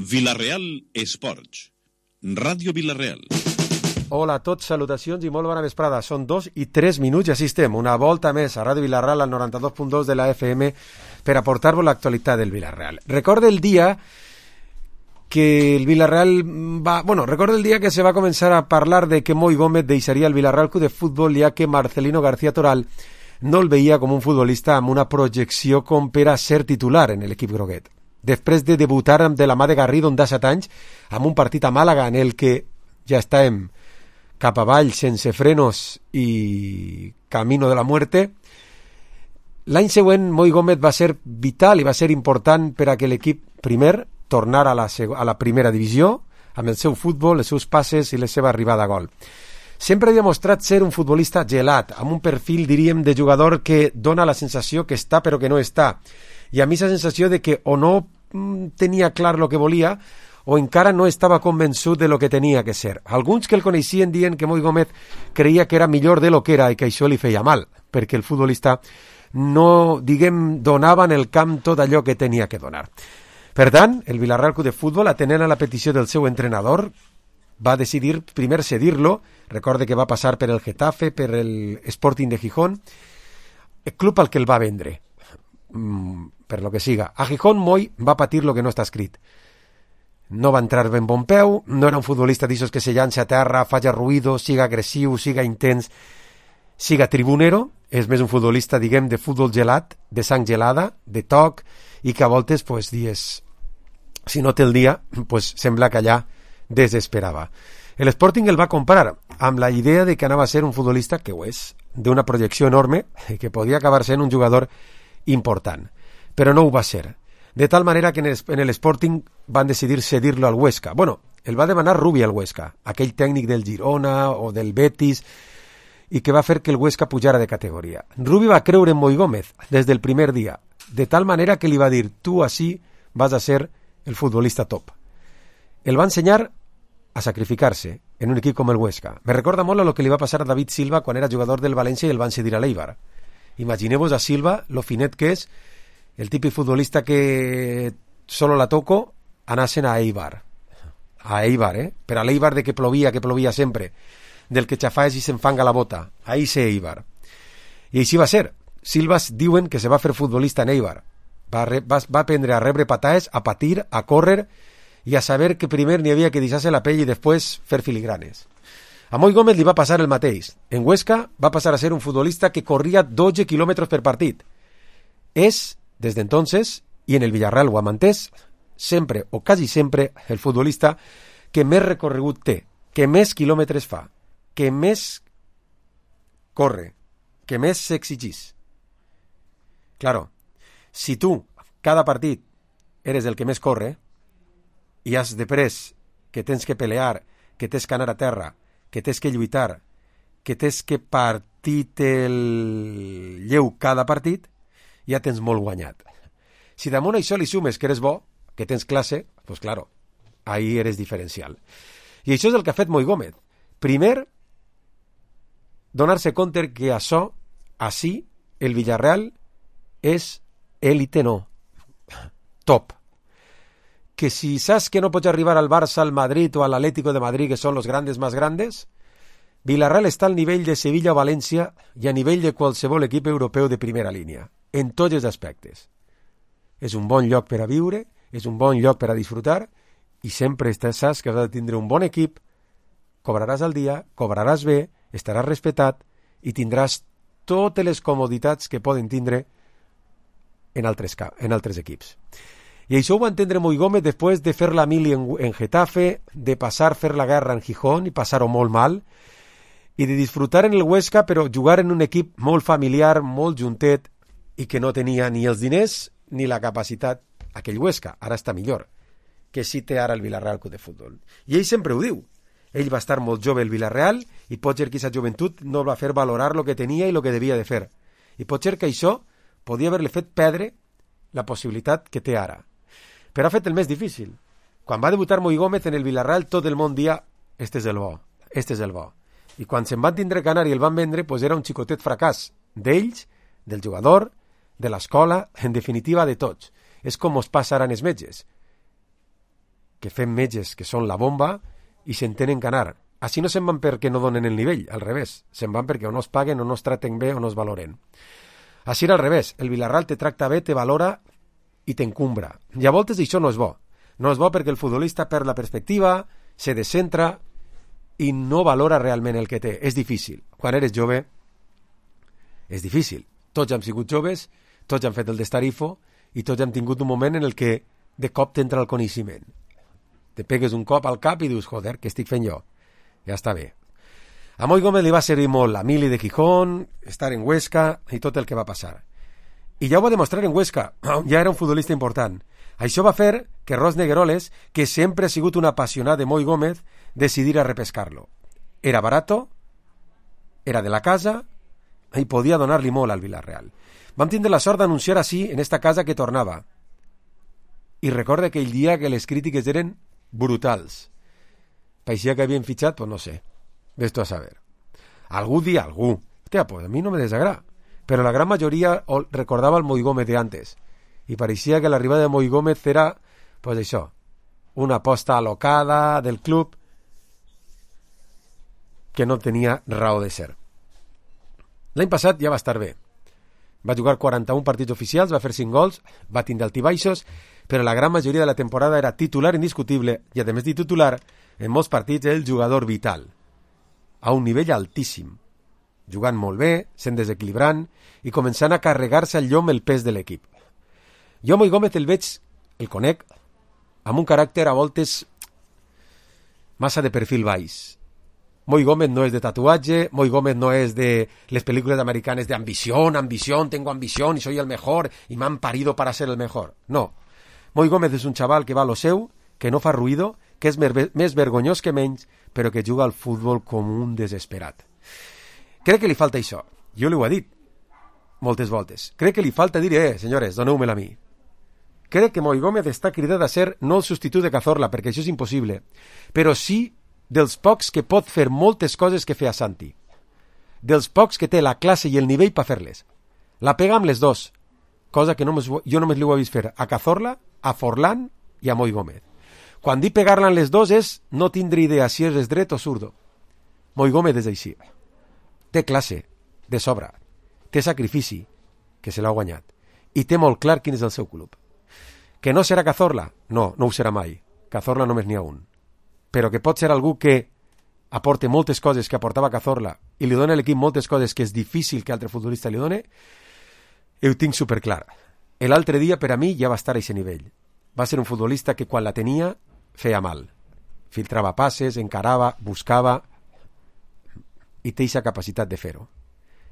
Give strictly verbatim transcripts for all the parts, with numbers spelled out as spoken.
Vila-real Esports, Ràdio Vila-real. Hola a tots, salutacions i molt bona vesprada. Són dos i tres minuts i així estem, una volta més a Ràdio Vila-real al noranta-dos punt dos de la F M per aportar-vos l'actualitat del Vila-real. Recorda el dia que el Vila-real va... Bueno, recorda el dia que se va començar a parlar de que Moi Gómez deixaria el Vila-real Club de Futbol, ja que Marcelino García Toral no el veia com un futbolista amb una projecció com per a ser titular en l'equip groguet. Després de debutar de la mà de Garrido en set anys amb un partit a Màlaga en el que ja estàvem cap avall sense frenos i camino de la muerte, l'any següent Moi Gómez va ser vital i va ser important per a que l'equip primer tornar a la, a la primera divisió amb el seu futbol, els seus passes i la seva arribada a gol. Sempre havia mostrat ser un futbolista gelat, amb un perfil, diríem, de jugador que dona la sensació que està però que no està. I a mi la sensació de que o no mm, tenia clar el que volia o encara no estava convençut de lo que tenia que ser. Alguns que el coneixien diuen que Moi Gómez creia que era millor de lo que era i que això li feia mal, perquè el futbolista no, diguem, donava en el camp tot allò que tenia que donar. Per tant, el Vila-real Club de Futbol, atenent a la petició del seu entrenador, va decidir primer cedir-lo. Recorde que va passar per el Getafe, per el Sporting de Gijón, el club al que el va vendre, mm, per lo que siga. A Gijón, Moi va patir lo que no està escrit. No va entrar ben bon peu, no era un futbolista d'aixòs que se llança a terra, falla ruïdo, siga agressiu, siga intens, siga tribunero. És més un futbolista, diguem, de futbol gelat, de sang gelada, de toc, i que a voltes, pues, dies, si no té el dia, pues, sembla que allà desesperava. El Sporting el va comprar amb la idea de que anava a ser un futbolista, que ho és, d'una projecció enorme, que podia acabar sent un jugador important, però no ho va ser. De tal manera que en el Sporting van decidir cedir-lo al Huesca. Bueno, el va demanar Rubi al Huesca, aquell tècnic del Girona o del Betis, i que va fer que el Huesca pujara de categoria. Rubi va creure en Moi Gómez des del primer dia, de tal manera que li va dir: tu així vas a ser el futbolista top. El va ensenyar a sacrificar-se en un equip com el Huesca. Me recorda molt a lo que li va passar a David Silva quan era jugador del València i el van cedir a l'Eibar. Imagineu-vos a Silva, lo finet que és, el típic futbolista que solo la toco, anasen a Eibar. A Eibar, eh? Per a l'Eibar de que plovia, que plovia sempre, del que xafaes i s'enfanga la bota. Ahí se Eibar. I així va ser. Silvas diuen que se va fer futbolista en Eibar. Va, re, va, va aprendre a rebre pataes, a patir, a córrer i a saber que primer n'hi havia que deixar-se la pell i després fer filigranes. A Moi Gómez li va passar el mateix. En Huesca va passar a ser un futbolista que corria dotze quilòmetres per partit. És, des d'entonces, i en el Villarreal ho ha mantès, sempre o quasi sempre el futbolista que més recorregut té, que més quilòmetres fa, que més corre, que més s'exigís. Claro, si tu, cada partit, eres el que més corre, i has de pres que tens que pelear, que tens que anar a terra, que tens que lluitar, que tens que partir el lleu cada partit, ja tens molt guanyat. Si damunt això li sumes que eres bo, que tens classe, pues claro, ahí eres diferencial. I això és el que ha fet Moi Gómez. Primer, donar-se compte que això, així, el Villarreal és élite no, top. Que si saps que no pots arribar al Barça, al Madrid o al Atlético de Madrid, que són los grandes más grandes, Villarreal està al nivell de Sevilla o València i a nivell de qualsevol equip europeu de primera línia, en tots els aspectes. És un bon lloc per a viure, és un bon lloc per a disfrutar i sempre estàs, saps que has de tindre un bon equip, cobraràs al dia, cobraràs bé, estaràs respectat i tindràs totes les comoditats que poden tindre en altres, en altres equips. I això ho va entendre Moi Gómez després de fer la mili en, en Getafe, de passar fer la guerra en Gijón i passar-ho molt mal, i de disfrutar en el Huesca, però jugar en un equip molt familiar, molt juntet, i que no tenia ni els diners ni la capacitat, aquell Huesca, ara està millor, que sí té ara el Vila-real Club de Futbol. I ell sempre ho diu. Ell va estar molt jove al Vila-real i pot ser que aquesta joventut no va fer valorar el que tenia i el que devia de fer. I pot ser que això podia haver-li fet perdre la possibilitat que té ara. Però ha fet el més difícil. Quan va debutar Moi Gómez en el Vila-real, tot el món dia, este és el bo, este és el bo. I quan se'n van tindre que anar i el van vendre, pues era un xicotet fracàs d'ells, del jugador, de l'escola, en definitiva de tots. És com us passa ara en els metges. que fem metges que són la bomba i se'n tenen que anar. Així no se'n van perquè no donen el nivell, al revés. Se'n van perquè o no es paguen, o no es traten bé, o no es valoren. Així era al revés. El Villarreal te tracta bé, te valora i t'encumbra. I a voltes això no és bo. No és bo perquè el futbolista perd la perspectiva, se descentra i no valora realment el que té. És difícil. Quan eres jove, és difícil. Tots hem sigut joves, tots hem fet el destarifo i tots hem tingut un moment en el que de cop t'entra el coneixement. Te pegues un cop al cap i dius, joder, què estic fent jo? Ja està bé. A Moi Gómez li va servir molt la mili de Gijón, estar en Huesca i tot el que va passar. I ja ho va demostrar en Huesca, ja era un futbolista important. Això va fer que Ros Negueroles, que sempre ha sigut un apassionat de Moi Gómez, decidir a repescar-lo. Era barato, era de la casa i podia donar-li molt al Villarreal. Vam tindre la sort d'anunciar així en esta casa que tornava. I recorda aquell dia que les crítiques eren brutals. Paixia que havien fitxat, pues no sé. Ves tu a saber. Algú dia algú. Hòstia, pues a mi no me desagrada. Però la gran majoria recordava el Moi Gómez de antes. I pareixia que l'arribada de Moi Gómez era, pues això, una aposta alocada del club que no tenia raó de ser. L'any passat ja va estar bé. Va jugar quaranta-un partits oficials, va fer cinc gols, va tindre altibaixos, però la gran majoria de la temporada era titular indiscutible i, a més de titular, en molts partits el jugador vital, a un nivell altíssim, jugant molt bé, sent desequilibrant i començant a carregar-se al llom el pes de l'equip. Jo Moi Gómez el veig, el conec, amb un caràcter a voltes massa de perfil baix. Moi Gómez no és de tatuatge, Moi Gómez no és de les pel·lícules americanes de ambición, ambición, tengo ambición y soy el mejor y me han parido para ser el mejor. No. Moi Gómez és un xaval que va a lo seu, que no fa ruïdo, que és més vergonyós que menys, però que juga al futbol com un desesperat. Crec que li falta això. Jo li ho he dit moltes voltes. Crec que li falta dir, eh, senyores, doneu-me-la a mi. Crec que Moi Gómez està cridat a ser no el substitut de Cazorla, perquè això és impossible, però sí dels pocs que pot fer moltes coses que feia Santi. Dels pocs que té la classe i el nivell per fer-les. La pega amb les dos, cosa que només, jo només li ho he vist fer a Cazorla, a Forlán i a Moi Gómez. Quan dic pegar-la en les dos és no tindre idea si és dret o zurdo. Moi Gómez és així. Té classe, de sobra. Té sacrifici, que se l'ha guanyat. I té molt clar quin és el seu club. Que no serà Cazorla? No, no ho serà mai. Cazorla només n'hi ha un. Però que pot ser algú que aporte moltes coses que aportava Cazorla i li dona a l'equip moltes coses que és difícil que altre futbolista li done, ho tinc superclar. L'altre dia, per a mi, ja va estar a aquest nivell. Va ser un futbolista que quan la tenia feia mal. Filtrava passes, encarava, buscava i té aquesta capacitat de fer-ho.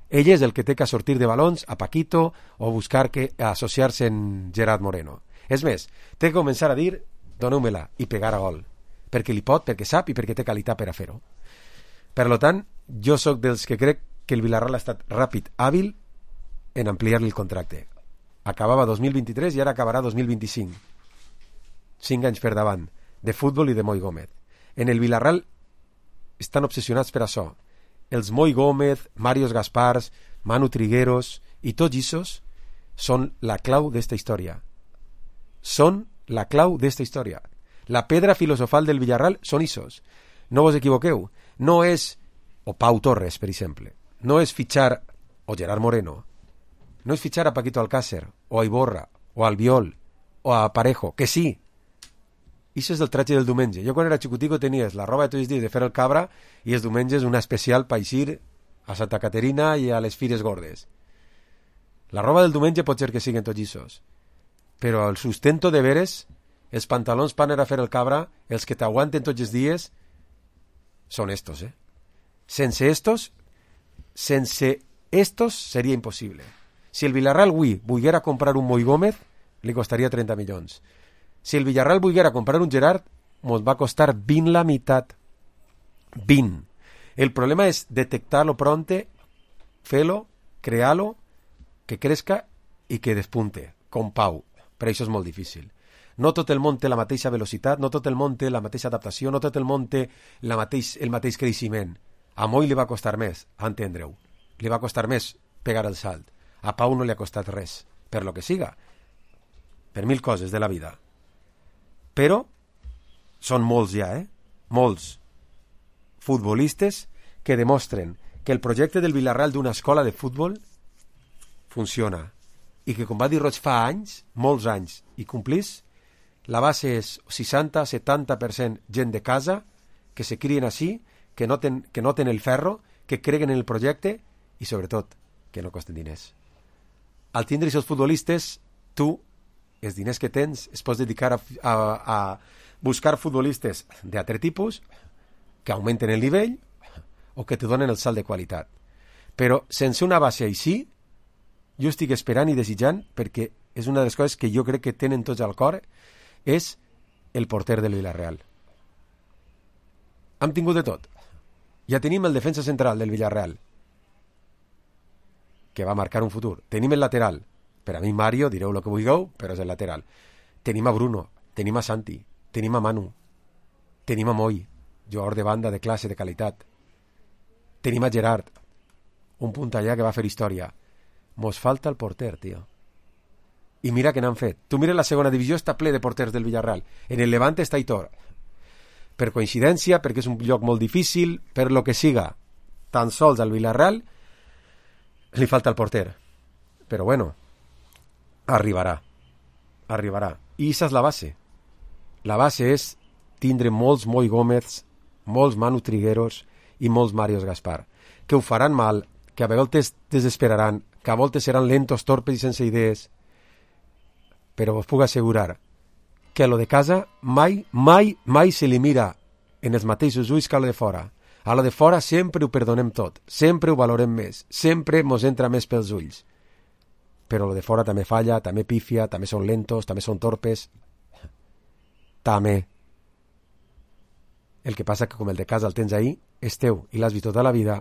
Ell és el que té que sortir de balons a Paquito o buscar que associar-se en Gerard Moreno. És més, té que començar a dir doneu-me-la i pegar a gol. Perquè li pot, perquè sap i perquè té qualitat per a fer-ho. Per tant, jo sóc dels que crec que el Villarreal ha estat ràpid, hàbil en ampliar-li el contracte. Acabava dos mil vint-i-tres i ara acabarà dos mil vint-i-cinc. Cinc anys per davant, de futbol i de Moi Gómez. En el Villarreal estan obsessionats per això. Els Moi Gómez, Marios Gaspars, Manu Trigueros i tots issos són la clau d'esta història. Són la clau d'esta història. La pedra filosofal del Villarreal són issos. No vos equivoqueu. No és, o Pau Torres, per exemple, no és fitxar, o Gerard Moreno, no és fitxar a Paquito Alcácer, o a Iborra, o a Albiol, o a Parejo, que sí. Això és el tratge del diumenge. Jo quan era xicutico tenies la roba de tots els dies de fer el cabra i els diumenges una especial pa eixir a Santa Caterina i a les Fires Gordes. La roba del diumenge pot ser que siguin tots issos, però el sustento de veres, els pantalons per anar a fer el cabra, els que t'aguanten tots els dies, són estos, eh? Sense estos, sense estos seria impossible. Si el Villarreal avui volguera comprar un Moi Gómez, li costaria trenta milions. Si el Villarreal volguera comprar un Gerard, ens va costar vint la meitat. vint. El problema és detectar-lo pronte, fer-lo, crear-lo, que crezca i que despunte, com Pau. Per això és molt difícil. No tot el món té la mateixa velocitat, no tot el món té la mateixa adaptació, no tot el món té la mateix, el mateix creixement. A Moi li va costar més, entendre-ho. Li va costar més pegar el salt. A Pau no li ha costat res, per lo que siga. Per mil coses de la vida. Però són molts ja, eh? Molts futbolistes que demostren que el projecte del Villarreal d'una escola de futbol funciona i que, com va dir Roig fa anys, molts anys, i complís, la base és seixanta a setanta per cent gent de casa, que se crien així, que noten, que noten el ferro, que creguen en el projecte i, sobretot, que no costen diners. Al tindre aquests futbolistes, tu, els diners que tens, es pots dedicar a, a, a buscar futbolistes d'altre tipus que augmenten el nivell o que te donen el salt de qualitat. Però sense una base així, jo estic esperant i desitjant, perquè és una de les coses que jo crec que tenen tots al cor, és el porter del Villarreal. Hem tingut de tot. Ja tenim el defensa central del Villarreal, que va marcar un futur. Tenim el lateral. Per a mi, Mario, direu el que vulgueu, però és el lateral. Tenim a Bruno, tenim a Santi, tenim a Manu, tenim a Moi, jugador de banda de classe, de qualitat. Tenim a Gerard, un punt allà que va fer història. Mos falta el porter, tio. I mira que n'han fet. Tu mira la segona divisió, està ple de porters del Villarreal. En el Levante està Aitor. Per coincidència, perquè és un lloc molt difícil, per lo que siga, tan sols al Villarreal li falta el porter. Però bueno, arribarà. Arribarà. I aquesta és la base. La base és tindre molts Moi Gómez, molts Manu Trigueros i molts Marios Gaspar, que ho faran mal, que a vegades desesperaran, que a voltes seran lentos, torpes i sense idees, però us puc assegurar que a lo de casa mai, mai, mai se li mira en els mateixos ulls que a lo de fora. A lo de fora sempre ho perdonem tot, sempre ho valorem més, sempre mos entra més pels ulls. Però lo de fora també falla, també pifia, també són lentos, també són torpes. També. El que passa que com el de casa el tens ahí, és teu i l'has vist tota la vida,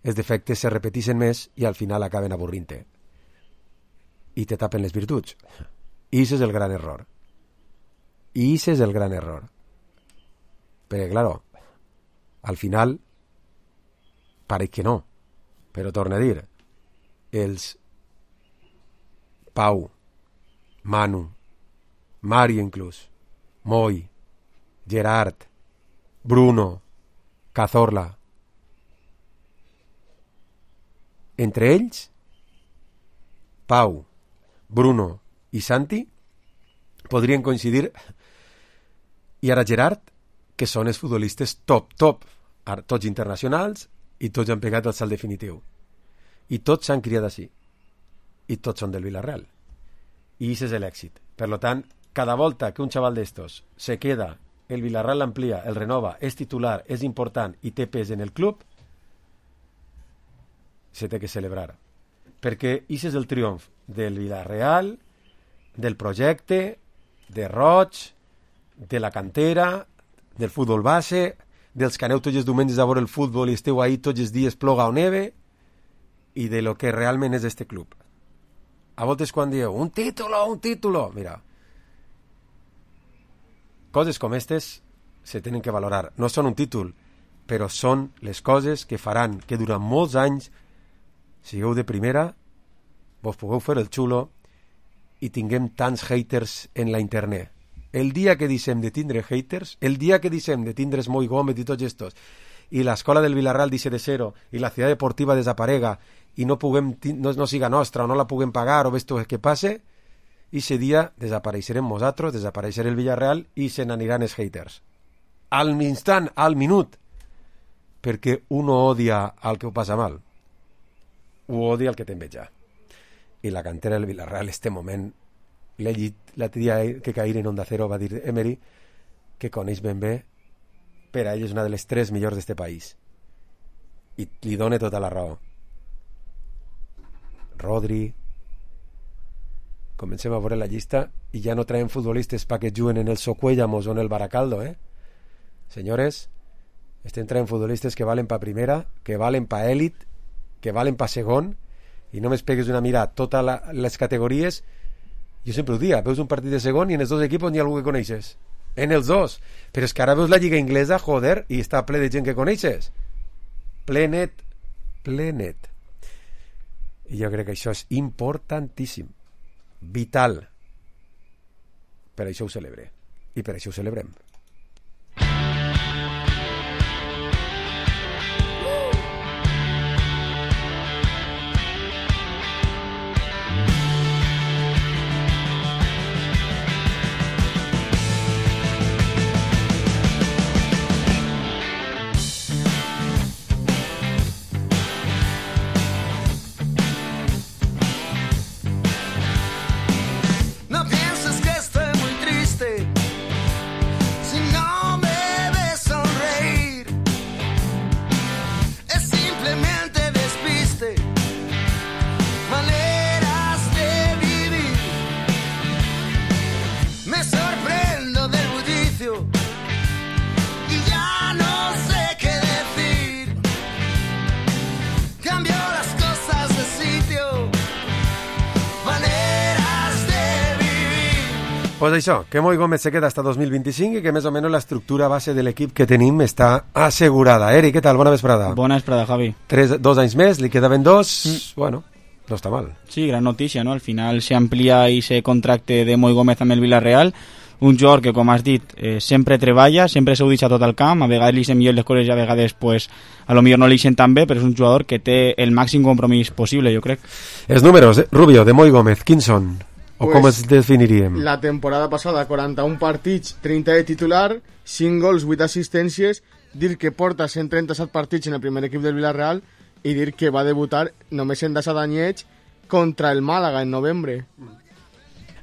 els defectes se repeteixen més i al final acaben avorrint-te. I te tapen les virtuts. I això és el gran error. I això és el gran error. Perquè, claro, al final, pareix que no. Però torna a dir, els Pau, Manu, Mario inclús, Moi, Gerard, Bruno, Cazorla, entre ells, Pau, Bruno i Santi podrien coincidir, i ara Gerard, que són els futbolistes top, top, tots internacionals, i tots han pegat el salt definitiu. I tots s'han criat així. I tots són del Villarreal. I això és l'èxit. Per tant, cada volta que un xaval d'estos se queda, el Villarreal l'amplia, el renova, és titular, és important i té pes en el club, se té que celebrar. Perquè això és el triomf del Villarreal, del projecte, de Roig, de la cantera, del futbol base, dels que aneu tots els diumenges a veure el futbol i esteu ahí tots els dies ploga o neve, i de lo que realment és este club. A voltes quan dieu, un título, un título, mira, coses com aquestes se tenen que valorar. No són un títol, però són les coses que faran que durant molts anys sigueu de primera, vos pugueu fer el xulo i tinguem tants haters en la internet. El dia que deixem de tindre haters, el dia que deixem de tindre Moi Gómez i tots estos, i l'escola del Villarreal deixe de ser-ho, i la ciutat deportiva desaparega, i no, puguem, no, no siga nostra, o no la puguem pagar, o ves tu què passe, i ese dia desapareixerem nosaltres, desapareixerà el Villarreal, i se n'aniran els haters. Al instant, al minut, perquè uno odia al que ho passa mal, ho odia al que t'enveja. I la cantera del Villarreal, este moment, l'he llit l'altre dia que cair en Onda Cero, va dir Emery, que coneix ben bé, per a ell és una de les tres millors d'este país. I li dona tota la raó. Rodri, comencem a veure la llista i ja no traiem futbolistes perquè juguen en el Socuéllamos o en el Baracaldo, eh? Senyores, estem traient futbolistes que valen pa primera, que valen pa èlit, que valen pa segon, i només pegues una mirada a totes la, les categories. Jo sempre ho dia, veus un partit de segon i en els dos equips n'hi ha algú que coneixes. En els dos. Però és que ara veus la lliga inglesa, joder, i està ple de gent que coneixes. Plenet, plenet. I jo crec que això és importantíssim, vital. Per això ho celebre. I per això ho celebrem. Pues això, que Moi Gómez se queda hasta dos mil vint-i-cinc i que més o menys l'estructura base de l'equip que tenim està assegurada. Eri, què tal? Bona vesprada. Bona vesprada, Javi. Tres, dos anys més, li quedaven dos, mm. bueno, no està mal. Sí, gran notícia, no? Al final se amplia i se contracte de Moi Gómez amb el Villarreal, un jugador que, com has dit, eh, sempre treballa, sempre s'ho deixa tot el camp, a vegades li sent millor les coses i a vegades pues, a lo millor no li sent tan bé, però és un jugador que té el màxim compromís possible, jo crec. Els números, eh? Rubio, de Moi Gómez, quins són? O pues, com es definiríem? La temporada passada, quaranta-un partits, trenta de titular, cinc gols, vuit assistències, dir que porta cent trenta-set partits en el primer equip del Villarreal i dir que va debutar només en disset anyets contra el Màlaga en novembre.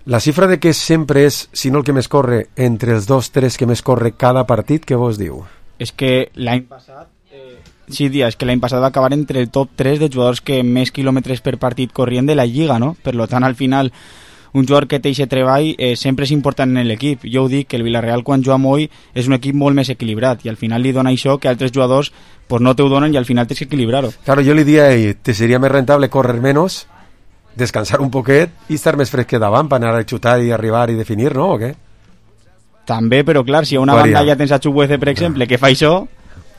La xifra de que sempre és, si no el que més corre, entre els dos, tres que més corre cada partit, què vos diu? És que l'any passat... Eh, sí, dia, és que l'any passat va acabar entre el top tres de jugadors que més quilòmetres per partit corrien de la Lliga, no? Per lo tant, al final... un jugador que té aquest treball eh, sempre és important en l'equip. Jo ho dic, que el Villarreal quan juga Moi és un equip molt més equilibrat i al final li dona això que altres jugadors pues, no te ho donen i al final tens que equilibrar-ho. Claro, jo li diria a ell, te seria més rentable córrer menos, descansar un poquet i estar més fresque davant per anar a xutar i arribar i definir, no? O què? També, però clar, si a una Varia. banda ja tens a Chukwueze, per exemple, que fa això,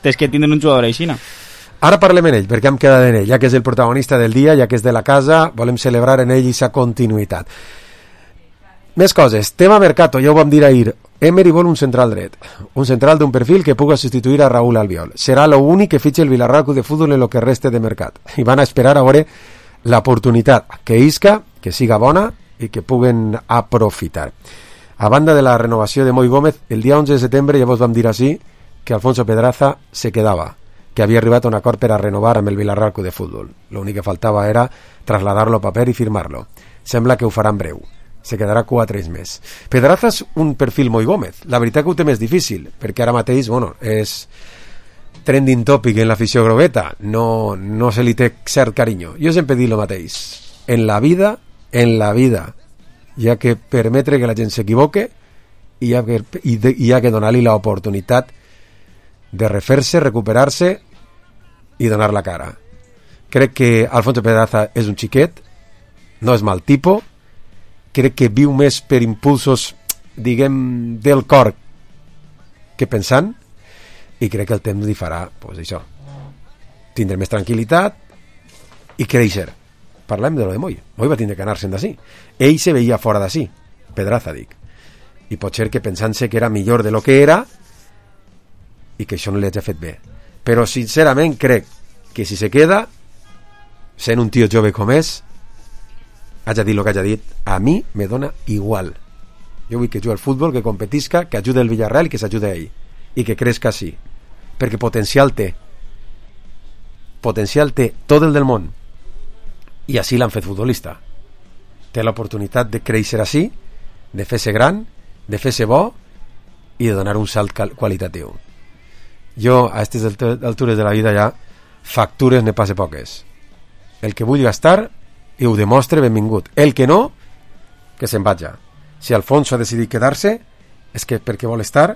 tens que tindre un jugador aixina. Ara parlem en ell, perquè hem quedat en ell, ja que és el protagonista del dia, ja que és de la casa, volem celebrar en ell aquesta continuïtat. Més coses. Tema mercato, ja ho vam dir ahir. Emery vol un central dret. Un central d'un perfil que puga substituir a Raúl Albiol. Serà l'únic que fitxe el Villarreal Club de Fútbol en lo que reste de mercat. I van a esperar a veure l'oportunitat que isca, que siga bona i que puguen aprofitar. A banda de la renovació de Moi Gómez, el dia onze de setembre ja vos vam dir així que Alfonso Pedraza se quedava, que havia arribat a un acord per a renovar amb el Villarreal Club de Fútbol. L'únic que faltava era trasladar-lo a paper i firmar-lo. Sembla que ho faran breu. Se quedarà quatre anys més. Pedraza és un perfil Moi Gómez. La veritat que ho té més difícil, perquè ara mateix, bueno, és trending topic en l'afició grogueta. No, no se li té cert carinyo. Jo sempre dic el mateix. En la vida, en la vida, hi ha que permetre que la gent s'equivoque i hi ha que, i de, hi ha que donar-li l'oportunitat de refer-se, recuperar-se i donar la cara. Crec que Alfonso Pedraza és un xiquet, no és mal tipus, crec que viu més per impulsos, diguem, del cor que pensant, i crec que el temps li farà, pues això, tindre més tranquil·litat i créixer. Parlem de lo de Moi. Moi va tindre que anar-se'n d'ací. Ell se veia fora d'ací, Pedraza, dic. I pot ser que pensant-se que era millor de lo que era i que això no li hagi fet bé. Però, sincerament, crec que si se queda, sent un tio jove com és, haja dit el que haja dit, a mi me dona igual. Jo vull que jugui al futbol, que competisca, que ajude el Villarreal i que s'ajude ell. I que crezca així. Perquè potencial té. Potencial té tot el del món. I així l'han fet futbolista. Té l'oportunitat de créixer així, de fer-se gran, de fer-se bo i de donar un salt qualitatiu. Jo, a aquestes altures de la vida ja, factures ne passe poques. El que vull gastar i ho demostre, benvingut. El que no, que se'n vaja. Si Alfonso ha decidit quedar-se, és que perquè vol estar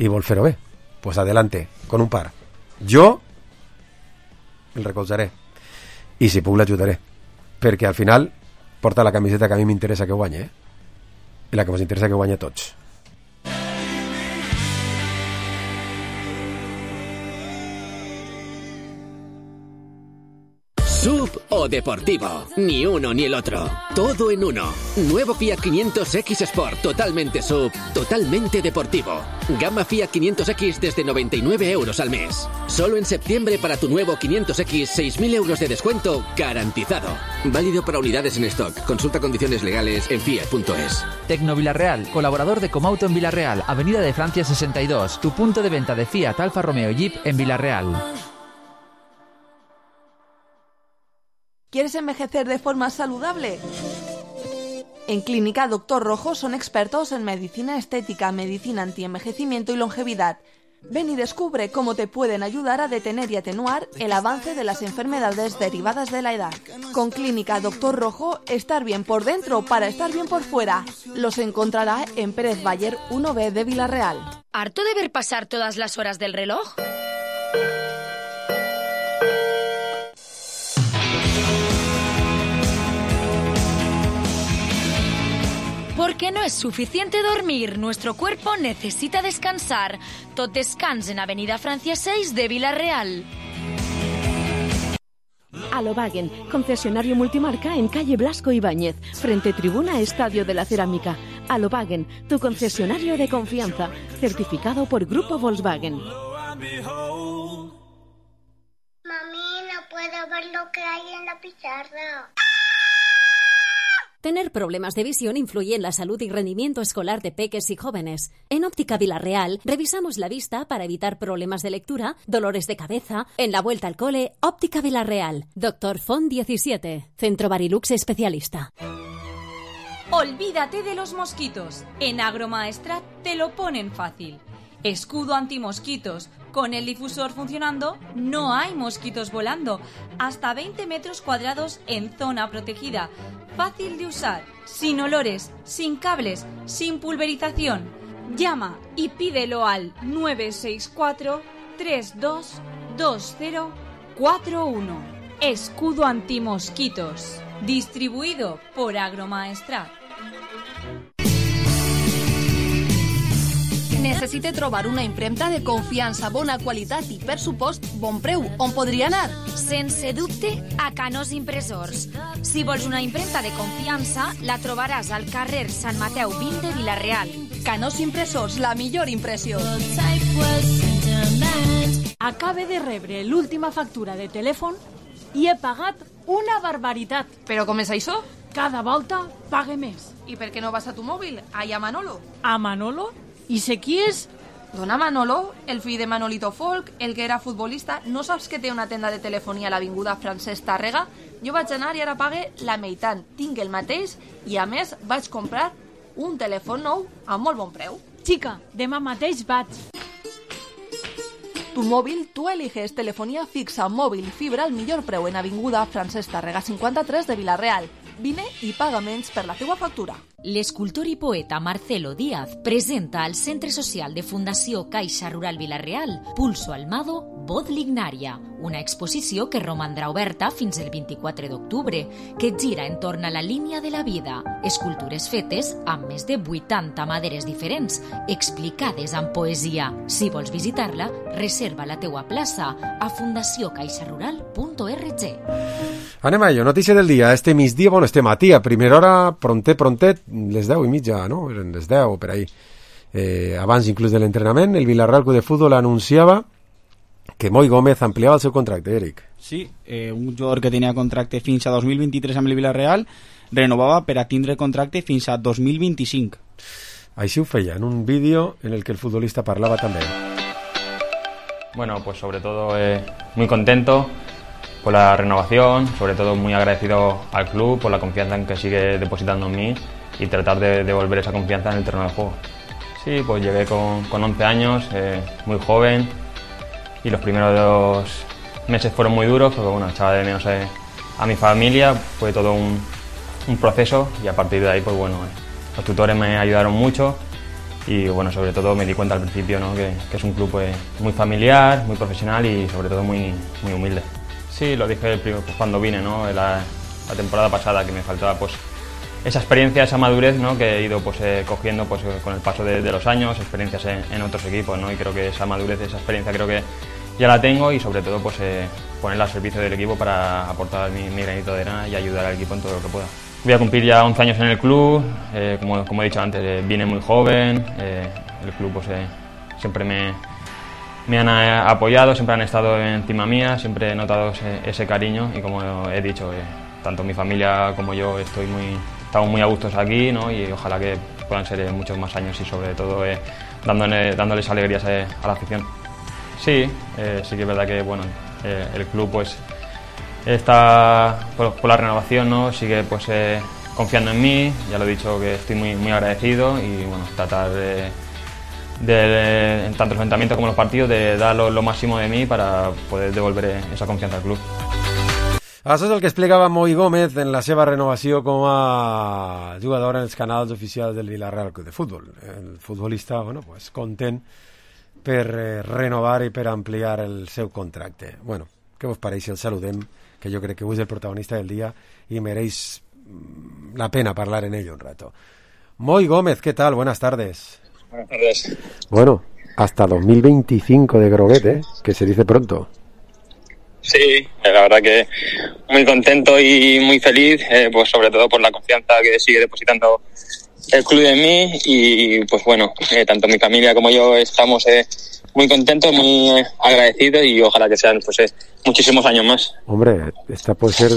i vol fer-ho bé. Pues adelante, con un par. Jo el recolzaré i si puc l'ajudaré, perquè al final porta la camiseta que a mi m'interessa que guanye, eh? I la que ens interessa que guanye tots. Sub o deportivo, ni uno ni el otro, todo en uno. Nuevo Fiat quinientos X Sport, totalmente sub, totalmente deportivo. Gama Fiat quinientos X desde noventa y nueve euros al mes. Solo en septiembre para tu nuevo quinientos X, seis mil euros de descuento garantizado. Válido para unidades en stock. Consulta condiciones legales en fiat punto es. Tecno Villarreal, colaborador de Comauto en Villarreal, Avenida de Francia sesenta y dos, tu punto de venta de Fiat, Alfa Romeo y Jeep en Villarreal. ¿Quieres envejecer de forma saludable? En Clínica Doctor Rojo son expertos en medicina estética, medicina antienvejecimiento y longevidad. Ven y descubre cómo te pueden ayudar a detener y atenuar el avance de las enfermedades derivadas de la edad. Con Clínica Doctor Rojo, estar bien por dentro para estar bien por fuera. Los encontrará en Pérez Bayer uno B de Villarreal. ¿Harto de ver pasar todas las horas del reloj? Porque no es suficiente dormir, nuestro cuerpo necesita descansar. Tot descans en Avenida Francia seis de Vila-real. Alobagen, concesionario multimarca en calle Blasco Ibáñez, frente tribuna Estadio de la Cerámica. Alobagen, tu concesionario de confianza, certificado por Grupo Volkswagen. Mami, no puedo ver lo que hay en la pizarra. Tener problemas de visión influye en la salud y rendimiento escolar de peques y jóvenes. En Óptica Vila-real revisamos la vista para evitar problemas de lectura, dolores de cabeza. En la vuelta al cole, Óptica Vila-real. Doctor Font diecisiete, Centro Barilux especialista. Olvídate de los mosquitos. En Agromaestrat te lo ponen fácil. Escudo antimosquitos. Con el difusor funcionando, no hay mosquitos volando. Hasta veinte metros cuadrados en zona protegida. Fácil de usar, sin olores, sin cables, sin pulverización. Llama y pídelo al nueve seis cuatro, tres dos dos cero cuatro uno. Escudo antimosquitos. Distribuido por Agromaestrat. Necessite trobar una impremta de confiança, bona qualitat i, per supost, bon preu. On podria anar? Sense dubte, a Canós Impressors. Si vols una impremta de confiança, la trobaràs al carrer Sant Mateu vint de Vila-real. Canós Impressors, la millor impressió. Acabe de rebre l'última factura de telèfon i he pagat una barbaritat. Però com és això? Cada volta pague més. I per què no vas a tu mòbil? Allà a Manolo. A Manolo? I sé qui és? Dona Manolo, el fill de Manolito Folk, el que era futbolista. No saps que té una tenda de telefonia a l'avinguda Francesc Tàrrega? Jo vaig anar i ara pague la meitat. Tinc el mateix i, a més, vaig comprar un telèfon nou a molt bon preu. Xica, demà mateix vaig. Tu mòbil, tu eliges telefonia fixa, mòbil, fibra al millor preu en avinguda Francesc Tàrrega cinquanta-tres de Vila-real. Vine i paga menys per la teua factura. L'escultor i poeta Marcelo Díaz presenta al Centre Social de Fundació Caixa Rural Vila-real Pulso Almado, Voz Lignària, una exposició que romandrà oberta fins el vint-i-quatre d'octubre, que gira entorn a la línia de la vida. Escultures fetes amb més de vuitanta maderes diferents, explicades amb poesia. Si vols visitar-la, reserva la teua plaça a fundació caixa rural punt org. Anem a ello, notícia del dia. Este migdia, bueno, este matí, a primera hora, prontet, prontet, les deu i mitja, no? Eren les deu, per ahí. Eh, abans inclús de l'entrenament, el Villarreal Club de Fútbol anunciava que Moi Gómez ampliava el seu contracte, Eric. Sí, eh, un jugador que tenia contracte fins a dos mil vint-i-tres amb el Villarreal renovava per a tindre contracte fins a dos mil vint-i-cinc. Així ho feia, en un vídeo en el que el futbolista parlava també. Bueno, pues sobre todo eh, muy contento por la renovación, sobre todo muy agradecido al club por la confianza en que sigue depositando en mí y tratar de devolver esa confianza en el terreno de juego. Sí, pues llegué con, con once años, eh, muy joven, y los primeros meses fueron muy duros porque bueno, echaba de menos eh, a mi familia, fue todo un, un proceso y a partir de ahí pues bueno, eh, los tutores me ayudaron mucho y bueno, sobre todo me di cuenta al principio, ¿no? que, que es un club pues, muy familiar, muy profesional y sobre todo muy, muy humilde. Sí, lo dije pues, cuando vine, ¿no? la, la temporada pasada, que me faltaba pues esa experiencia, esa madurez, ¿no? que he ido pues, eh, cogiendo pues, con el paso de, de los años, experiencias en, en otros equipos, ¿no? y creo que esa madurez, esa experiencia creo que ya la tengo y sobre todo pues, eh, ponerla al servicio del equipo para aportar mi, mi granito de arena y ayudar al equipo en todo lo que pueda. Voy a cumplir ya once años en el club, eh, como, como he dicho antes, eh, vine muy joven, eh, el club pues, eh, siempre me, me han eh, apoyado, siempre han estado encima mía, siempre he notado ese, ese cariño y como he dicho, eh, tanto mi familia como yo estoy muy, estamos muy a gustos aquí, ¿no? y ojalá que puedan ser eh, muchos más años y sobre todo eh, dándole, dándoles alegrías eh, a la afición. Sí, eh, sí que es verdad que bueno, eh, el club pues está por, por la renovación, ¿no? sigue pues eh, confiando en mí, ya lo he dicho que estoy muy, muy agradecido y bueno, tratar de, de, en tanto los entrenamientos como los partidos, de dar lo, lo máximo de mí para poder devolver esa confianza al club. Això és el que explicava Moi Gómez en la seva renovació com a jugador en els canals oficials del Villarreal Club de Futbol. El futbolista, bueno, pues, content per eh, renovar i per ampliar el seu contracte. Bueno, què vos pareix si el saludem, que jo crec que avui és el protagonista del dia i mereix la pena parlar en ell un rato. Moy Gómez, ¿qué tal? Buenas tardes. Buenas tardes. Bueno, hasta dos mil veinticinco de Groguet, ¿eh? Que se dice pronto. Sí, la verdad que muy contento y muy feliz, eh, pues sobre todo por la confianza que sigue depositando el club en mí y pues bueno, eh, tanto mi familia como yo estamos eh, muy contentos, muy eh, agradecidos y ojalá que sean pues eh, muchísimos años más. Hombre, esta puede ser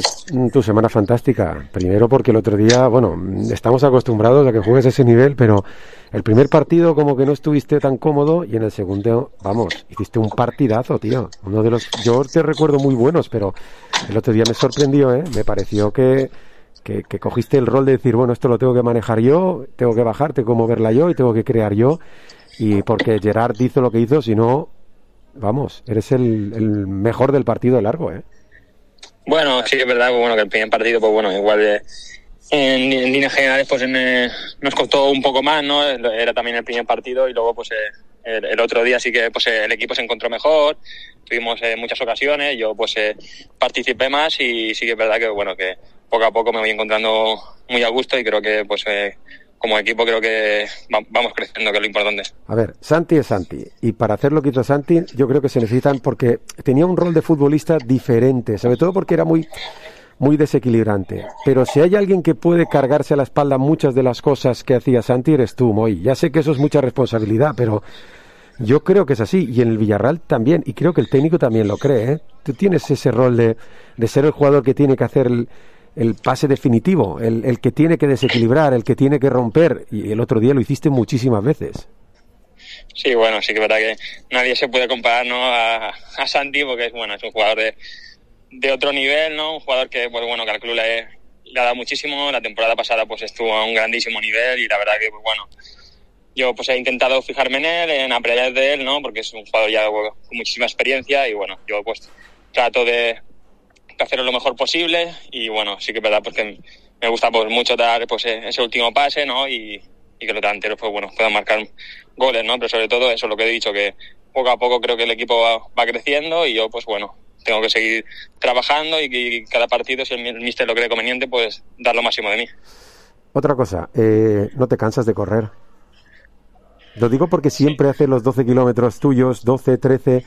tu semana fantástica. Primero porque el otro día, bueno, estamos acostumbrados a que juegues a ese nivel, pero el primer partido como que no estuviste tan cómodo y en el segundo, vamos, hiciste un partidazo, tío. Uno de los, yo te recuerdo muy buenos, pero el otro día me sorprendió, ¿eh? Me pareció que, que, que cogiste el rol de decir, bueno, esto lo tengo que manejar yo, tengo que bajar, tengo que moverla yo y tengo que crear yo. Y porque Gerard hizo lo que hizo, si no, vamos, eres el, el mejor del partido de largo, ¿eh? Bueno, sí que es verdad pues, bueno, que el primer partido, pues bueno, igual de, en, en líneas generales pues en, eh, nos costó un poco más, ¿no? Era también el primer partido y luego pues eh, el, el otro día sí que pues eh, el equipo se encontró mejor, tuvimos eh, muchas ocasiones, yo pues eh, participé más y sí que es verdad que bueno, que poco a poco me voy encontrando muy a gusto y creo que pues eh, como equipo creo que vamos creciendo, que es lo importante. A ver, Santi es Santi, y para hacer lo que hizo Santi, yo creo que se necesitan, porque tenía un rol de futbolista diferente, sobre todo porque era muy, muy desequilibrante. Pero si hay alguien que puede cargarse a la espalda muchas de las cosas que hacía Santi, eres tú, Moy. Ya sé que eso es mucha responsabilidad, pero yo creo que es así, y en el Villarreal también, y creo que el técnico también lo cree, ¿eh? Tú tienes ese rol de, de ser el jugador que tiene que hacer el... el pase definitivo, el, el que tiene que desequilibrar, el que tiene que romper, y el otro día lo hiciste muchísimas veces. Sí, bueno, sí que es verdad que nadie se puede comparar, ¿no? a, a Santi, porque es bueno, es un jugador de, de otro nivel, ¿no? Un jugador que, pues bueno, que al club le, le ha dado muchísimo. La temporada pasada pues estuvo a un grandísimo nivel y la verdad que, pues bueno, yo pues he intentado fijarme en él, en aprender de él, ¿no? Porque es un jugador ya con muchísima experiencia y bueno, yo pues trato de hacerlo lo mejor posible y bueno, sí que es verdad porque me gusta pues mucho dar pues ese último pase, ¿no? Y, y que los delanteros pues bueno puedan marcar goles, ¿no? Pero sobre todo eso es lo que he dicho, que poco a poco creo que el equipo va, va creciendo y yo pues bueno tengo que seguir trabajando y, y cada partido, si el míster lo cree conveniente, pues dar lo máximo de mí. Otra cosa, eh, ¿no te cansas de correr? Lo digo porque siempre sí. Haces los doce kilómetros tuyos, doce, trece...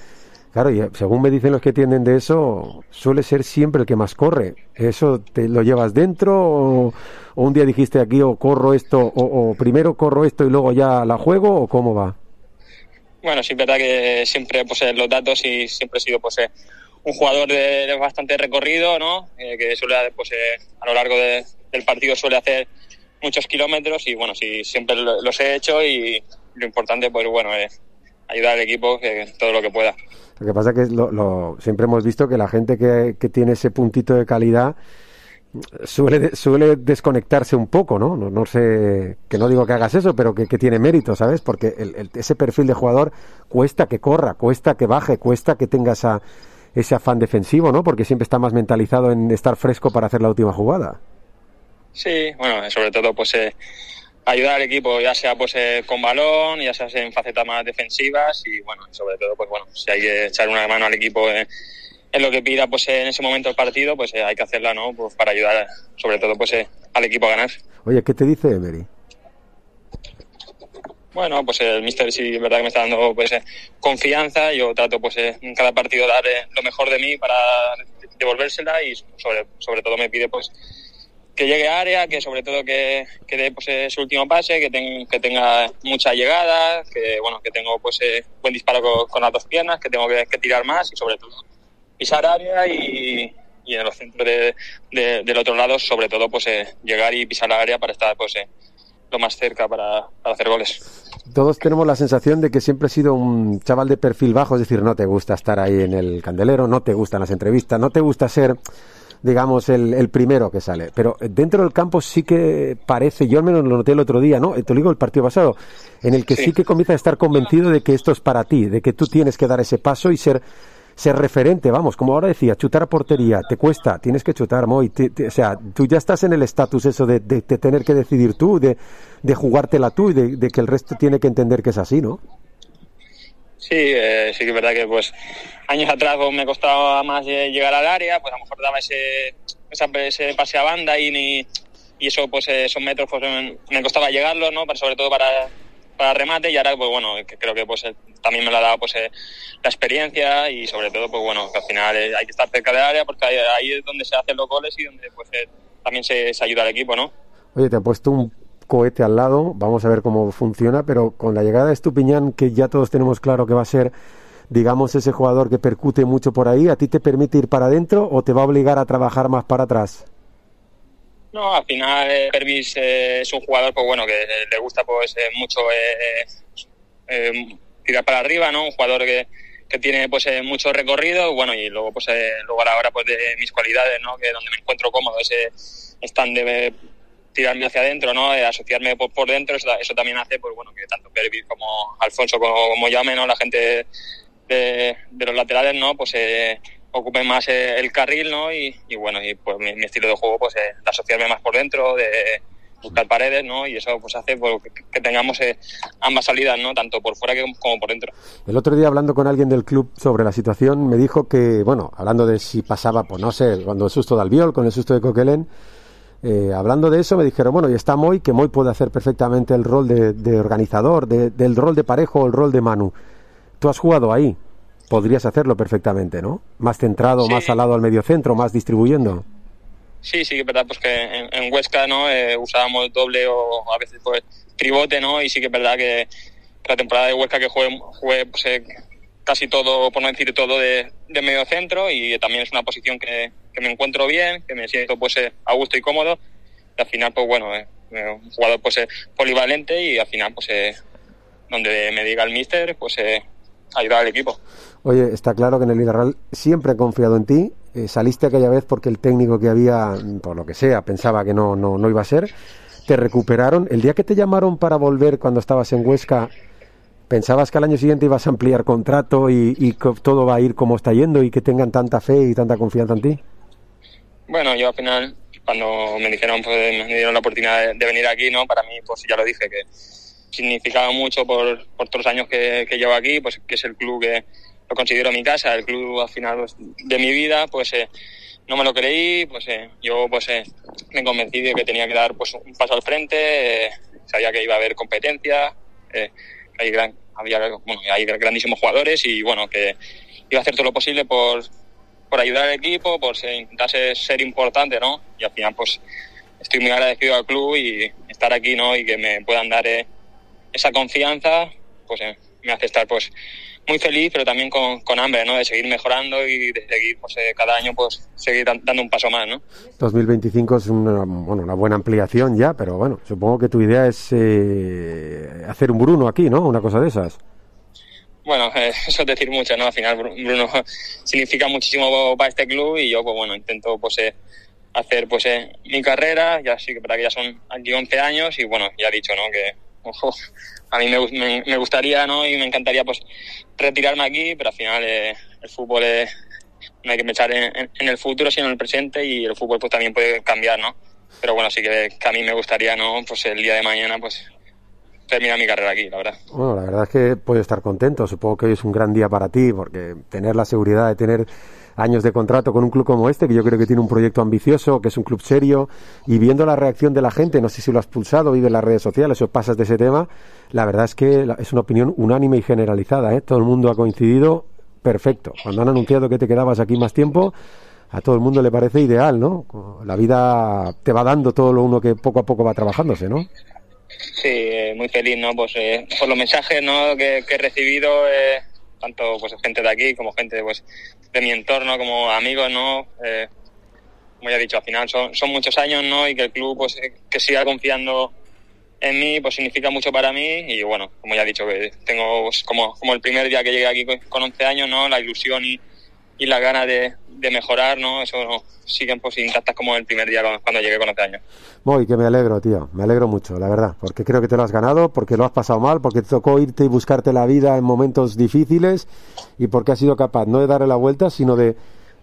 Claro, y según me dicen los que tienden de eso, suele ser siempre el que más corre. ¿Eso te lo llevas dentro o, o un día dijiste aquí o corro esto o, o primero corro esto y luego ya la juego o cómo va? Bueno, sí es verdad que siempre pues los datos y siempre he sido pues un jugador de, de bastante recorrido, ¿no? Eh, que suele pues eh, a lo largo de, del partido suele hacer muchos kilómetros y bueno, sí siempre lo, los he hecho y lo importante pues bueno es ayudar al equipo que todo lo que pueda. Lo que pasa es que lo, lo, siempre hemos visto que la gente que, que tiene ese puntito de calidad suele, suele desconectarse un poco, ¿no? ¿no? No sé, que no digo que hagas eso, pero que, que tiene mérito, ¿sabes? Porque el, el, ese perfil de jugador cuesta que corra, cuesta que baje, cuesta que tenga esa, ese afán defensivo, ¿no? Porque siempre está más mentalizado en estar fresco para hacer la última jugada. Sí, bueno, sobre todo pues... Eh... ayudar al equipo, ya sea pues eh, con balón, ya sea en facetas más defensivas y bueno, sobre todo pues bueno, si hay que echar una mano al equipo eh, en lo que pida pues eh, en ese momento el partido, pues eh, hay que hacerla, ¿no? Pues para ayudar sobre todo pues eh, al equipo a ganar. Oye, ¿qué te dice Emery? Bueno, pues el míster sí es verdad que me está dando pues eh, confianza, yo trato pues eh, en cada partido dar eh, lo mejor de mí para devolvérsela y sobre, sobre todo me pide pues que llegue a área, que sobre todo que, que dé pues, ese último pase, que, ten, que tenga mucha llegada, que bueno que tengo pues eh, buen disparo con, con las dos piernas, que tengo que, que tirar más y sobre todo pisar área y, y en los centros de, de, del otro lado sobre todo pues eh, llegar y pisar la área para estar pues eh, lo más cerca para, para hacer goles. Todos tenemos la sensación de que siempre has sido un chaval de perfil bajo, es decir, no te gusta estar ahí en el candelero, no te gustan las entrevistas, no te gusta ser... digamos, el, el primero que sale. Pero dentro del campo sí que parece, yo al menos lo noté el otro día, ¿no? Te lo digo el partido pasado, en el que sí, sí que comienza a estar convencido de que esto es para ti, de que tú tienes que dar ese paso y ser ser referente, vamos, como ahora decía, chutar a portería, te cuesta, tienes que chutar, Moy, te, te, o sea, tú ya estás en el estatus eso de, de, de tener que decidir tú, de, de jugártela tú y de, de que el resto tiene que entender que es así, ¿no? Sí, eh, sí que es verdad que pues años atrás pues, me costaba más llegar al área, pues a lo mejor daba ese, esa, ese pase a banda y, ni, y eso, pues esos metros pues me, me costaba llegarlos, ¿no? Para, sobre todo para, para remate, y ahora, pues bueno, que creo que pues también me lo ha dado pues la experiencia, y sobre todo, pues bueno, que al final hay que estar cerca del área, porque ahí, ahí es donde se hacen los goles y donde pues también se, se ayuda al equipo, ¿no? Oye, te he puesto un cohete al lado, vamos a ver cómo funciona, pero con la llegada de Estupiñán, que ya todos tenemos claro que va a ser, digamos, ese jugador que percute mucho por ahí, ¿a ti te permite ir para adentro o te va a obligar a trabajar más para atrás? No, al final eh, Pervis eh, es un jugador, pues bueno, que eh, le gusta pues eh, mucho eh, eh, tirar para arriba, ¿no? Un jugador que, que tiene pues eh, mucho recorrido, bueno, y luego pues eh, luego a la hora pues de mis cualidades, ¿no? Que donde me encuentro cómodo, ese stand de eh, tirarme hacia adentro, ¿no? Eh, asociarme por, por dentro, eso, eso también hace, pues bueno, que tanto Pervis como Alfonso como, como Llame, ¿no? La gente de, de los laterales, ¿no? Pues eh, ocupen más eh, el carril, ¿no? Y, y bueno, y pues mi, mi estilo de juego, pues eh, de asociarme más por dentro, de buscar paredes, ¿no? Y eso pues hace pues, que, que tengamos eh, ambas salidas, ¿no? Tanto por fuera que, como por dentro. El otro día, hablando con alguien del club sobre la situación, me dijo que, bueno, hablando de si pasaba, pues no sé, cuando el susto de Albiol, con el susto de Coquelin, eh, hablando de eso, me dijeron, bueno, y está Moy, que Moy puede hacer perfectamente el rol de, de organizador, de, del rol de Parejo o el rol de Manu. Tú has jugado ahí, podrías hacerlo perfectamente, ¿no? Más centrado, sí. Más al lado al mediocentro, más distribuyendo. Sí, sí, es verdad, pues que en, en Huesca, ¿no? Eh, usábamos doble o a veces pues tribote, ¿no? Y sí que es verdad que, que la temporada de Huesca que jugué, jugué pues, eh, casi todo, por no decir todo, de, de medio centro, y también es una posición que, que me encuentro bien, que me siento pues eh, a gusto y cómodo, y al final pues bueno, eh, un jugador pues eh, polivalente, y al final pues eh, donde me diga el míster, pues eh, ayudar al equipo. Oye, está claro que en el Villarreal siempre he confiado en ti. Eh, saliste aquella vez porque el técnico que había, por lo que sea, pensaba que no, no, no iba a ser. Te recuperaron. El día que te llamaron para volver cuando estabas en Huesca, ¿pensabas que al año siguiente ibas a ampliar contrato y, y que todo va a ir como está yendo y que tengan tanta fe y tanta confianza en ti? Bueno, yo al final, cuando me dijeron, pues me dieron la oportunidad de, de venir aquí, ¿no? Para mí, pues ya lo dije, que significaba mucho por, por todos los años que, que llevo aquí, pues que es el club que lo considero mi casa, el club al final pues, de mi vida, pues eh, no me lo creí, pues eh, yo pues eh, me convencí de que tenía que dar pues un paso al frente, eh, sabía que iba a haber competencia, eh, hay gran, había bueno, hay grandísimos jugadores, y bueno, que iba a hacer todo lo posible por, por ayudar al equipo, por ser, intentar ser, ser importante, ¿no? Y al final pues estoy muy agradecido al club y estar aquí, ¿no? Y que me puedan dar eh, esa confianza, pues eh, me hace estar pues muy feliz, pero también con, con hambre, ¿no? De seguir mejorando y de seguir, pues, eh, cada año, pues, seguir dan, dando un paso más, ¿no? dos mil veinticinco es una, bueno, una buena ampliación ya, pero bueno, supongo que tu idea es eh, hacer un Bruno aquí, ¿no? Una cosa de esas. Bueno, eh, eso es decir mucho, ¿no? Al final Bruno significa muchísimo para este club, y yo, pues bueno, intento, pues, eh, hacer, pues, eh, mi carrera, ya sí que para que ya son aquí once años, y bueno, ya he dicho, ¿no? Que, ojo, a mí me, me, me gustaría, ¿no? Y me encantaría, pues, retirarme aquí, pero al final eh, el fútbol eh, no hay que pensar en, en, en el futuro, sino en el presente, y el fútbol pues también puede cambiar, ¿no? Pero bueno, sí que, que a mí me gustaría, ¿no? Pues el día de mañana, pues, terminar mi carrera aquí, la verdad. Bueno, la verdad es que puedes estar contento. Supongo que hoy es un gran día para ti, porque tener la seguridad de tener años de contrato con un club como este, que yo creo que tiene un proyecto ambicioso, que es un club serio, y viendo la reacción de la gente, no sé si lo has pulsado, vive en las redes sociales o pasas de ese tema, la verdad es que es una opinión unánime y generalizada, ¿eh? Todo el mundo ha coincidido, perfecto. Cuando han anunciado que te quedabas aquí más tiempo, a todo el mundo le parece ideal, ¿no? La vida te va dando todo lo uno que poco a poco va trabajándose, ¿no? Sí, eh, muy feliz, ¿no? Pues eh, por los mensajes, ¿no? que, que he recibido, eh, tanto pues gente de aquí como gente pues de mi entorno, como amigos, ¿no? Eh, como ya he dicho, al final son, son muchos años, ¿no? Y que el club pues eh, que siga confiando en mí, pues significa mucho para mí. Y bueno, como ya he dicho, que tengo pues, como, como el primer día que llegué aquí con once años, ¿no? La ilusión y, y la gana de, de mejorar, ¿no? Eso ¿no? siguen pues intactas como el primer día cuando llegué con once años. Muy, que me alegro, tío, me alegro mucho, la verdad, porque creo que te lo has ganado, porque lo has pasado mal, porque te tocó irte y buscarte la vida en momentos difíciles, y porque has sido capaz no de darle la vuelta, sino de,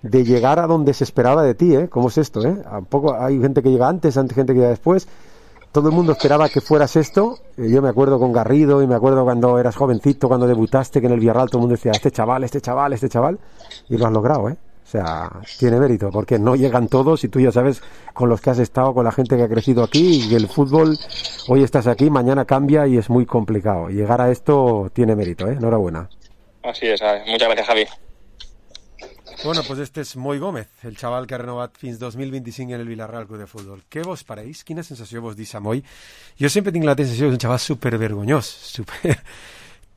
de llegar a donde se esperaba de ti, ¿eh? ¿Cómo es esto, eh? ¿A poco hay gente que llega antes, hay gente que llega después? Todo el mundo esperaba que fueras esto. Yo me acuerdo con Garrido, y me acuerdo cuando eras jovencito, cuando debutaste, que en el Villarreal todo el mundo decía, este chaval, este chaval, este chaval, y lo has logrado, ¿eh? sea, tiene mérito, porque no llegan todos y tú ya sabes con los que has estado, con la gente que ha crecido aquí, y el fútbol, hoy estás aquí, mañana cambia y es muy complicado. Llegar a esto tiene mérito, ¿eh? Enhorabuena. Así es, muchas gracias, Javi. Bueno, pues este és Moi Gómez, el xaval que ha renovat fins dos mil vint-i-cinc en el Villarreal Club de Futbol. Què vos pareix? Quina sensació vos deixa Moi? Jo sempre tinc la sensació que és un xaval supervergonyós, super...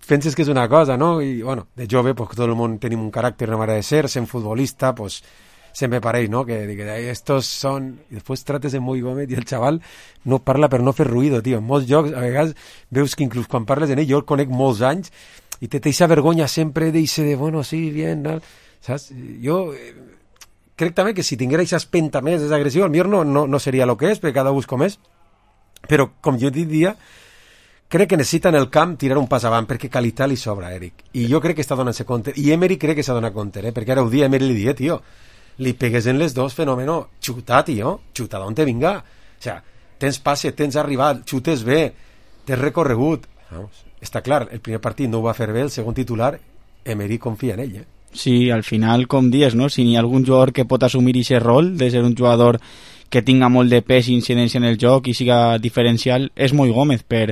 penses que és una cosa, no? I, bueno, de jove, pues tot el món tenim un caràcter, una manera de ser, sent futbolista, pues sempre pareix, no? Que, que estos són... I després trates de Moi Gómez i el xaval no parla per no fer ruïdo, tio. En molts jocs, a vegades, veus que inclús quan parles en ell, jo el conec molts anys, i te deixa vergonya sempre d'eixe de, bueno, sí, bien, no? Saps? Jo eh, crec també que si tinguera aquesta espenta més, aquesta agressió, el millor no, no, no seria el que és, perquè cada ús com és, però com jo diria, crec que necessita en el camp tirar un pas avant, perquè qualitat li sobra a Eric, i jo crec que està donant-se compte, i Emery crec que s'ha donat compte, eh? Perquè ara ho dia Emery li dia, tio, li pegues en les dos, fenòmeno, xuta, tio, xuta d'on te vinga, o sea, tens passe, tens arribat, xutes bé, tens recorregut, vamos, està clar, el primer partit no ho va fer bé, el segon titular, Emery confia en ell, eh? Sí, al final, com dius, no? Si n'hi ha algun jugador que pot assumir aquest rol de ser un jugador que tinga molt de pes i incidència en el joc i siga diferencial, és Moi Gómez, per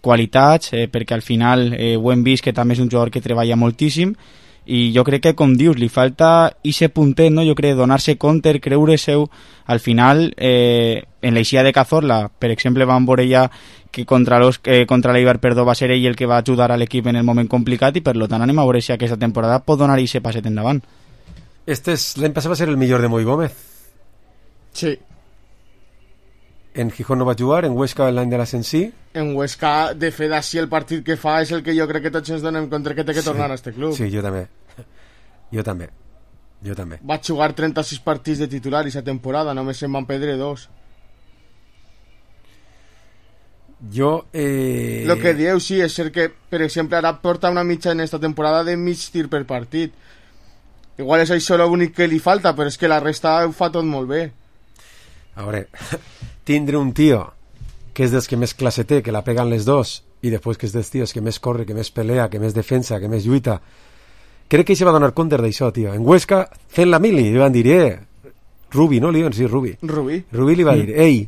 qualitats, eh, perquè al final eh, ho hem vist que també és un jugador que treballa moltíssim, i jo crec que, com dius, li falta ixe puntet, no? Jo crec, donar-se compte, creure seu, al final, eh, en l'eixida de Cazorla, per exemple, van veure ja que contra, los, eh, contra l'Eibar, perdó, va ser ell el que va ajudar a l'equip en el moment complicat, i per tant anem a veure si aquesta temporada pot donar ixe passet endavant. Este és, l'any passat va ser el millor de Moi Gómez. Sí. En Gijón no va jugar, en Huesca l'any de l'ascens sí. En Huesca, de fet, així el partit que fa és el que jo crec que tots ens donem compte que té que tornar sí. a este club. Sí, jo també. Jo també. Jo també. Va jugar trenta-sis partits de titular aquesta temporada, només se'n van perdre dos. Jo... Eh... Lo que dieu, sí, és ser que, per exemple, ara porta una mitja en esta temporada de mig tir per partit. Igual és això l'únic que li falta, però és que la resta ho fa tot molt bé. A veure, tindre un tio que és dels que més classe té, que la peguen les dos, i després que és dels tios que més corre, que més pelea, que més defensa, que més lluita, crec que se va donar compte d'això, tio. En Huesca, fent la mili, li van dir, eh, Rubi, no? Li van dir Rubi. Rubi. Rubi li va dir, ei,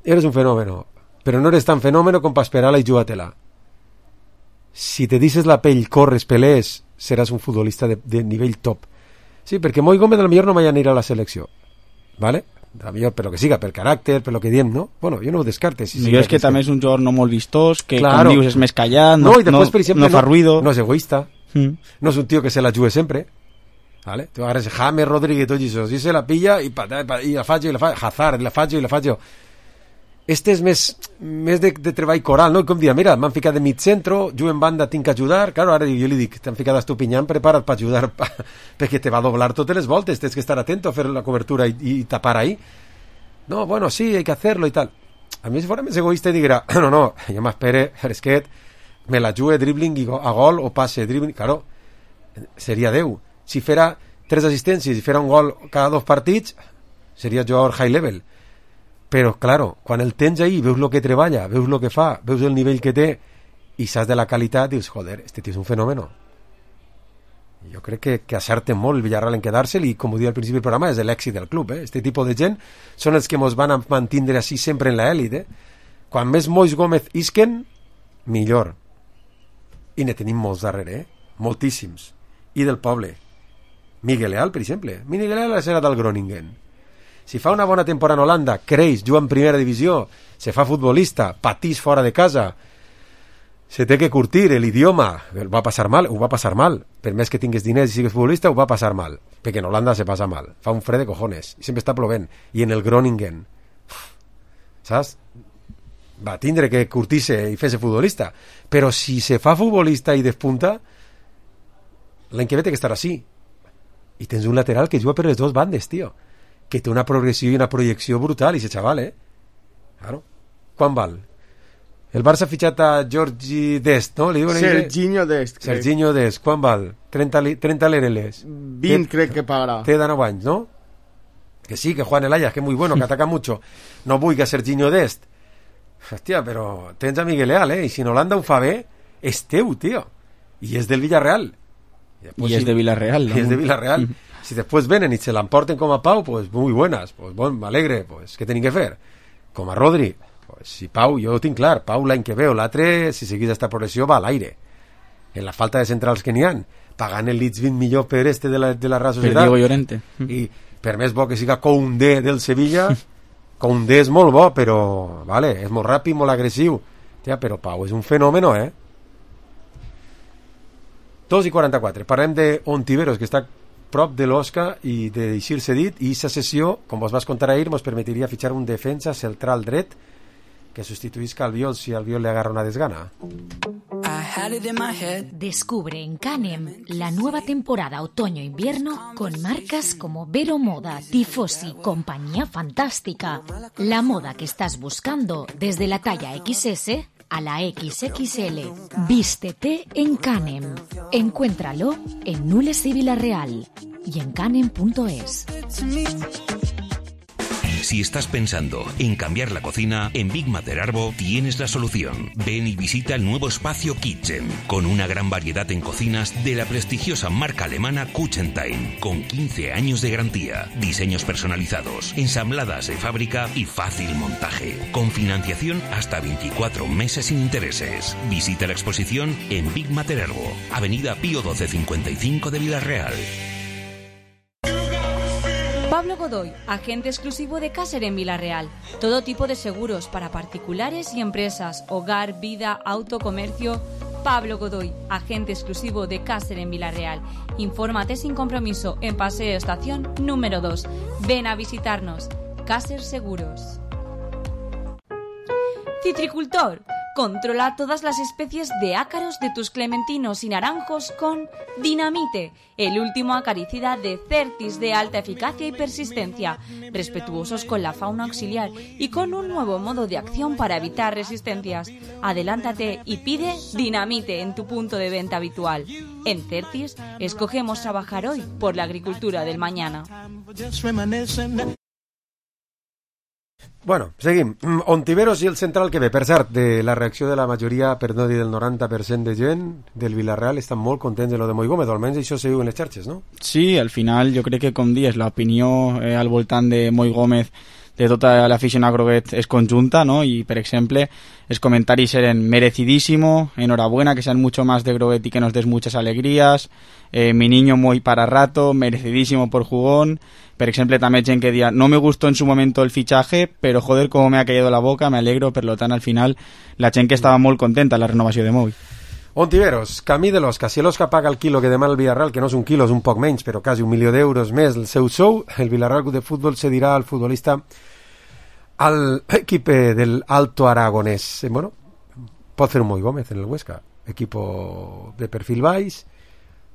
eres un fenómeno, pero no eres tan fenómeno com para esperar-la i jugar-te-la. Si te dices la pell, corres, pelees, seràs un futbolista de, de nivell top. Sí, perquè Moi Gómez a lo millor no vaya a ir a la selecció, ¿vale? A lo millor per lo que siga, per caràcter, per lo que diem, no? Bueno, jo no ho descartes. Si jo és que també és un jugador no molt vistós, que claro, com dius és més callat, no, no, i després, per exemple, no fa no, ruido. No és egoista, mm. no és un tio que se la jugue sempre, ¿vale? Tu agarres James, Rodríguez, tot això, si se la pilla i, i la faig, i la faig, Hazard, la faig, i la faig. Este és més, més de, de treball coral, no? Com dir, mira, m'han ficat de mig centro, jo en banda tinc que ajudar, claro, ara jo li dic, t'han ficat a Estupinyán, prepara't per ajudar, pa, perquè te va a doblar totes les voltes, tens que estar atento a fer la cobertura i, i tapar ahí. No, bueno, sí, hay que hacerlo y tal. A mí si fuera més egoísta y dijera, no, no, jo m'espere, fresquet, me la jugue dribbling i go, a gol o passe dribbling, claro, seria deu. Si fera tres assistències i fera un gol cada dos partits, seria jugador high level. Però, claro, quan el tens ahí, veus el que treballa, veus el que fa, veus el nivell que té i saps de la qualitat, dius, joder, este tio és un fenòmeno. Jo crec que, que acerte molt el Villarreal en quedar-se'l i, com ho diu al principi del programa, és l'èxit del club. Eh? Este tipus de gent són els que ens van a mantindre així sempre en l'elit. Eh? Quan més Moi Gómez isquen, millor. I ne tenim molts darrere, eh? Moltíssims. I del poble. Miguel Leal, per exemple. Miguel Leal serà del Groningen. Si fa una bona temporada en Holanda, creix, juga en primera divisió, se fa futbolista, patís fora de casa, se té que curtir l'idioma, el va passar mal, ho va passar mal, per més que tingues diners i sigues futbolista, ho va passar mal, perquè en Holanda se passa mal, fa un fred de cojones, i sempre està plovent, i en el Groningen, saps? Va tindre que curtir-se i fer-se futbolista, però si se fa futbolista i despunta, l'any que ve té que estar així, i tens un lateral que juga per les dues bandes, tio, que té una progressió i una projecció brutal, i ese xaval, eh? Claro. Quan val? El Barça ha fitxat a Georgi Dest, no? Li diuen Serginho Dest. Serginho Dest. Quan val? trenta, li, trenta lereles. vint crec que pagarà. Té de nou anys, no? Que sí, que Juan el Ajax, que es muy bueno, que ataca mucho. No vull que Serginho Dest. Hòstia, però tens a Miguel Leal, eh? I si en Holanda ho fa bé, és teu, tio. I és del Villarreal. I és de Villarreal. I és de Villarreal. Si después vienen y se la emporten com a Pau, pues muy buenas, pues bon, m'alegre, pues què tenim que fer? Com a Rodri, pues si Pau, jo ho tinc clar, Pau l'any que ve o l'altre, si seguís esta progressió, va a l'aire. En la falta de centrals que n'hi ha, pagant el Leeds vint milions per este de la, de la Real Societat. Per Diego Llorente. I per més bo que siga Koundé del Sevilla, Koundé és molt bo, però, vale, és molt ràpid, molt agressiu. Tia, però Pau és un fenòmeno, eh? dos i quaranta-quatre. Parlem d'Ontiveros, que està prop de l'Osca i de deixir-se dit, i aquesta sessió, com vos vas contar ahir, ens permetria fitxar un defensa central dret que sustituïsca Albiol si Albiol le agarra una desgana. Descubre en Canem la nueva temporada otoño-invierno con marcas como Vero Moda, Tifosi, Compañía Fantástica. La moda que estás buscando desde la talla equis ese a la equis equis ele. Vístete en Canem. Encuéntralo en Nules y Villarreal y en canem punto es. Si estás pensando en cambiar la cocina, en Big Mater Arbo tienes la solución. Ven y visita el nuevo espacio Kitchen, con una gran variedad en cocinas de la prestigiosa marca alemana Kuchentime, con quince años de garantía, diseños personalizados, ensambladas de fábrica y fácil montaje, con financiación hasta veinticuatro meses sin intereses. Visita la exposición en Big Mater Arbo, Avenida Pío doce cincuenta y cinco de Villarreal. Pablo Godoy, agente exclusivo de Caser en Villarreal. Todo tipo de seguros para particulares y empresas, hogar, vida, auto, comercio. Pablo Godoy, agente exclusivo de Caser en Villarreal. Infórmate sin compromiso en Paseo Estación número dos. Ven a visitarnos. Caser Seguros. Citricultor. Controla todas las especies de ácaros de tus clementinos y naranjos con Dinamite, el último acaricida de Certis de alta eficacia y persistencia, respetuosos con la fauna auxiliar y con un nuevo modo de acción para evitar resistencias. Adelántate y pide Dinamite en tu punto de venta habitual. En Certis, escogemos trabajar hoy por la agricultura del mañana. Bueno, seguim. Ontiveros i el central que ve. Per cert, de la reacció de la majoria, per no dir del noranta per cent de gent del Villarreal, estan molt contents de lo de Moi Gómez, almenys això se diu en les xarxes, no? Sí, al final jo crec que, com dius, l'opinió eh, al voltant de Moi Gómez de tota l'afició a Groguet és conjunta, ¿no? Y, por ejemplo, los comentarios eran merecidísimo, enhorabuena, que sean mucho más de Groguet y que nos des muchas alegrías, eh, mi niño muy para rato, merecidísimo por jugón. Por ejemplo, también gente que decía, no me gustó en su momento el fichaje, pero joder, cómo me ha caído la boca, me alegro, per lo tant, al final, la gent que estava molt contenta la renovació de Moi. Ontiveros, camí de l'Osca. Si l'Osca paga el quilo que demana el Villarreal, que no és un quilo, és un poc menys, però quasi un milió d'euros més el seu sou, el Villarreal Club de Futbol cedirà al futbolista al equip del Alto Aragonés. Bueno, pot fer un Moi Gómez en el Huesca, equipo de perfil baix,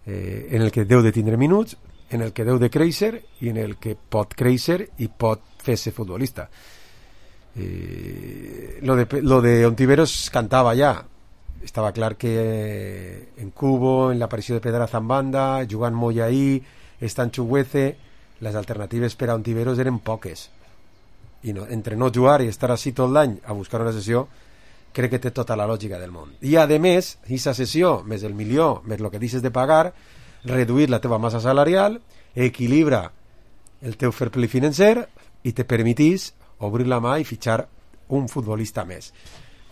eh, en el que deu de tindre minuts, en el que deu de créixer i en el que pot créixer i pot fer-se futbolista. Eh, lo de lo de Ontiveros cantava ja. Estava clar que en Cubo, en l'aparició de Pedraza en banda, jugant Moya ahí, estant Chuguece, les alternatives per a Ontiveros eren poques. I no, entre no jugar i estar així tot l'any a buscar una sessió, crec que té tota la lògica del món. I a més, aquesta sessió, més el milió, més el que deixes de pagar, reduir la teva massa salarial, equilibra el teu fair play financer i te permetís obrir la mà i fitxar un futbolista més.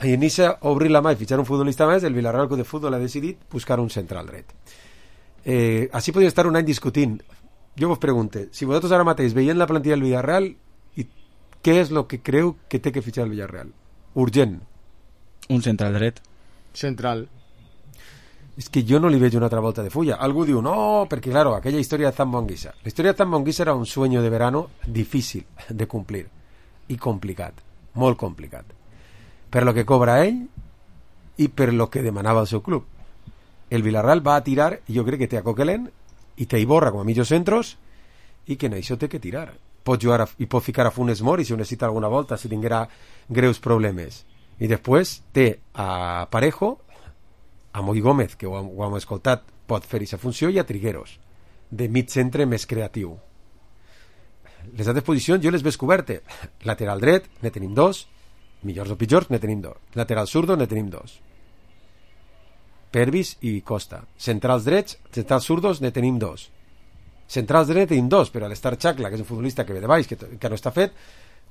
I en inicia obrir la mà i fitxar un futbolista més, el Villarreal Club de Futbol ha decidit buscar un central dret. Eh, així podria estar un any discutint. Jo vos pregunte, si vosaltres ara mateix veient la plantilla del Villarreal, i què és el que creu que té que fitxar el Villarreal? Urgent. Un central dret. Central. És que jo no li veig una altra volta de fulla. Algú diu, no, perquè, claro, aquella història de Zambo Anguissa. La història de Zambo Anguissa era un sueño de verano difícil de complir i complicat, molt complicat, per lo que cobra ell i per lo que demanava el seu club. El Villarreal va a tirar, i jo crec que té a Coquelin i té a Iborra com a mitjos centros, i que en això té que tirar. Pot jugar a, i pot ficar a Funes Mori si ho necessita alguna volta, si tinguera greus problemes. I després té a Parejo, a Moi Gómez, que ho, ho hem escoltat, pot fer aquesta funció, i a Trigueros, de mig centre més creatiu. Les altres posicions jo les veig cobertes. Lateral dret, ne tenim dos, millors o pitjors, ne tenim dos. Lateral zurdo, ne tenim dos. Pervis i Costa. Centrals drets, centrals zurdos, ne tenim dos. Centrals de net tenim dos, però l'Star Chakla, que és un futbolista que ve de baix, que, que no està fet,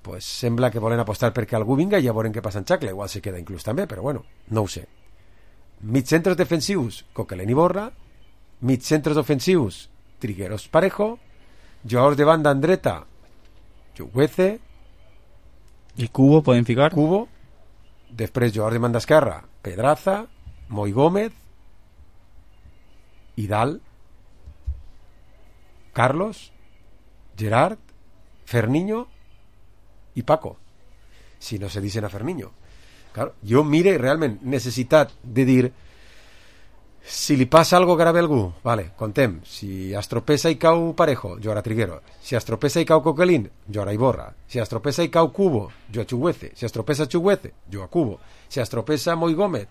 pues sembla que volen apostar perquè algú vinga i ja veurem què passa en Chakla. Igual se queda inclús també, però bueno, no ho sé. Mitjcentres defensius, Coquelin i Borra. Mitjcentres ofensius, Trigueros, Parejo. Jugadors de banda en dreta, Chukwueze i Cubo, poden ficar Cubo. Després jugadors de banda esquerra, Pedraza, Moi Gómez i dalt Carlos, Gerard, Ferniño i Paco, si no se dicen a Ferniño. Claro, jo mire realment necessitat de dir, si li passa algo grave a algú, vale, contem, si es tropeza i cau Parejo, jugarà Triguero. Si es tropeza i cau Coquelin, jugarà Iborra. Si es tropeza i cau Cubo, jugarà Chukwueze. Si es tropeza Chukwueze, jugarà Cubo. Si es tropeza Moi Gómez,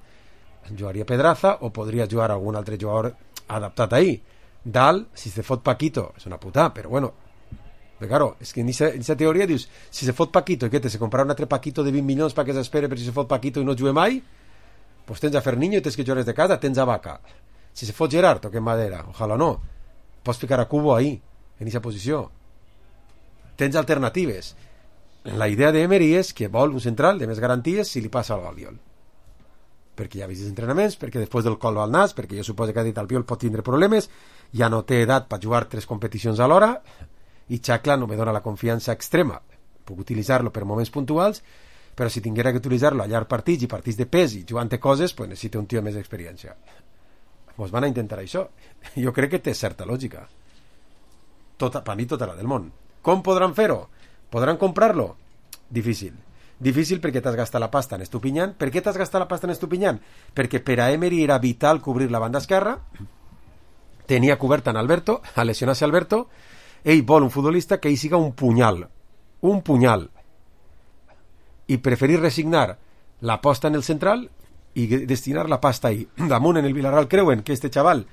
jugaria Pedraza, o podria jugar algun altre jugador adaptat ahí. Dalt, si se fot Paquito, és una putada, però bueno, però claro, és que en aquesta teoria dius, si se fot Paquito, i què te, se comprarà un altre Paquito de vint milions perquè s'espere per si se fot Paquito i no jugue mai, pues tens a Ferniño i tens que jugar de casa, tens a Vaca. Si se fot Gerard, toquem madera, ojalà no, pots ficar a Cubo ahí, en aquesta posició. Tens alternatives. La idea d'Emery és que vol un central de més garanties si li passa al Albiol. Perquè ja ha vist els entrenaments, perquè després del col al nas, perquè jo suposo que ha dit Albiol pot tindre problemes, ja no té edat per jugar tres competicions alhora, i Chakla no me dona la confiança extrema. Puc utilitzar-lo per moments puntuals, però si tinguera que utilitzar-lo a llarg partits i partits de pes i jugant coses, pues necessita un tio més d'experiència. Pues van a intentar això. Jo crec que té certa lògica. Tota, per mi tota la del món. Com podran fer-ho? Podran comprar-lo? Difícil. Difícil perquè t'has gastat la pasta en Estupiñán. Per què t'has gastat la pasta en Estupiñán? Perquè per a Emery era vital cobrir la banda esquerra, tenia coberta en Alberto, a lesionar-se Alberto, ell vol un futbolista que ell siga un punyal. Un punyal. I preferir resignar la posta en el central i destinar la pasta ahí. Damunt en el Villarreal creuen que este xaval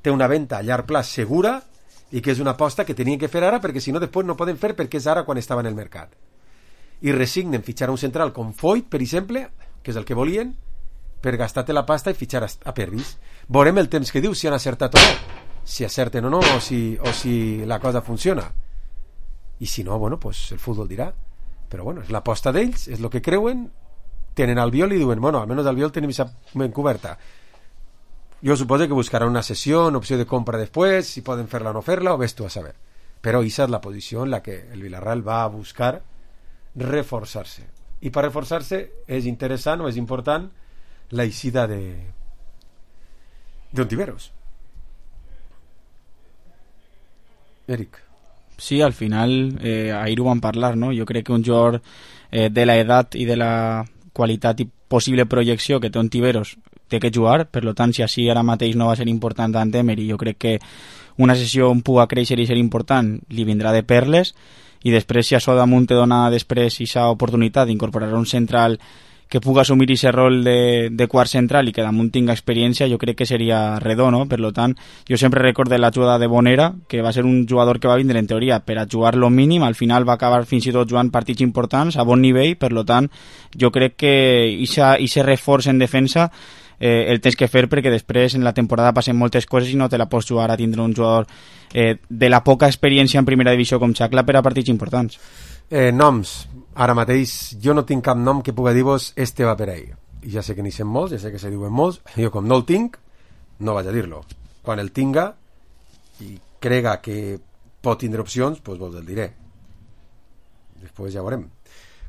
té una venta a llarg plaç segura i que és una aposta que tenien que fer ara perquè si no després no poden fer perquè és ara quan estava en el mercat. I resignen fitxar un central com Foyt, per exemple, que és el que volien, per gastar-te la pasta i fitxar a Pervis. Veurem el temps que diu si han acertat o no, si acerten o no, o si, o si la cosa funciona. I si no, bueno, pues el futbol dirà. Però bueno, és l'aposta d'ells, és el que creuen, tenen Albiol i diuen, bueno, almenys Albiol tenim esa ben coberta. Jo suposo que buscarà una sessió, una opció de compra després, si poden fer-la o no fer-la, o ves tu a saber. Però aquesta és la posició en la que el Villarreal va a buscar reforçar-se. I per reforçar-se és interessant o és important la eixida de d'Ontiveros. Eric. Sí, al final eh, ahir ho vam parlar, no? Jo crec que un jugador eh, de la edat i de la qualitat i possible projecció que té Ontiveros té que jugar, per lo tant, si així ara mateix no va ser important tant Emery, jo crec que una sessió on puga créixer i ser important li vindrà de perles, i després si això damunt te dona després aquesta oportunitat d'incorporar un central que puga assumir aquest rol de, de quart central i que damunt tinga experiència, jo crec que seria redó, no? Per tant, jo sempre recorde la jugada de Bonera, que va ser un jugador que va vindre en teoria per a jugar lo mínim, al final va acabar fins i tot jugant partits importants a bon nivell, per tant, jo crec que aquest reforç en defensa eh, el tens que fer perquè després en la temporada passen moltes coses i no te la pots jugar a tindre un jugador eh, de la poca experiència en primera divisió com Chakla per a partits importants. Eh, noms. Ara mateix jo no tinc cap nom que pugui dir-vos este va per ahí. I ja sé que n'hi sent molts, ja sé que se diuen molts. Jo com no el tinc, no vaig a dir-lo. Quan el tinga i crega que pot tindre opcions, doncs vos el diré. Després ja veurem.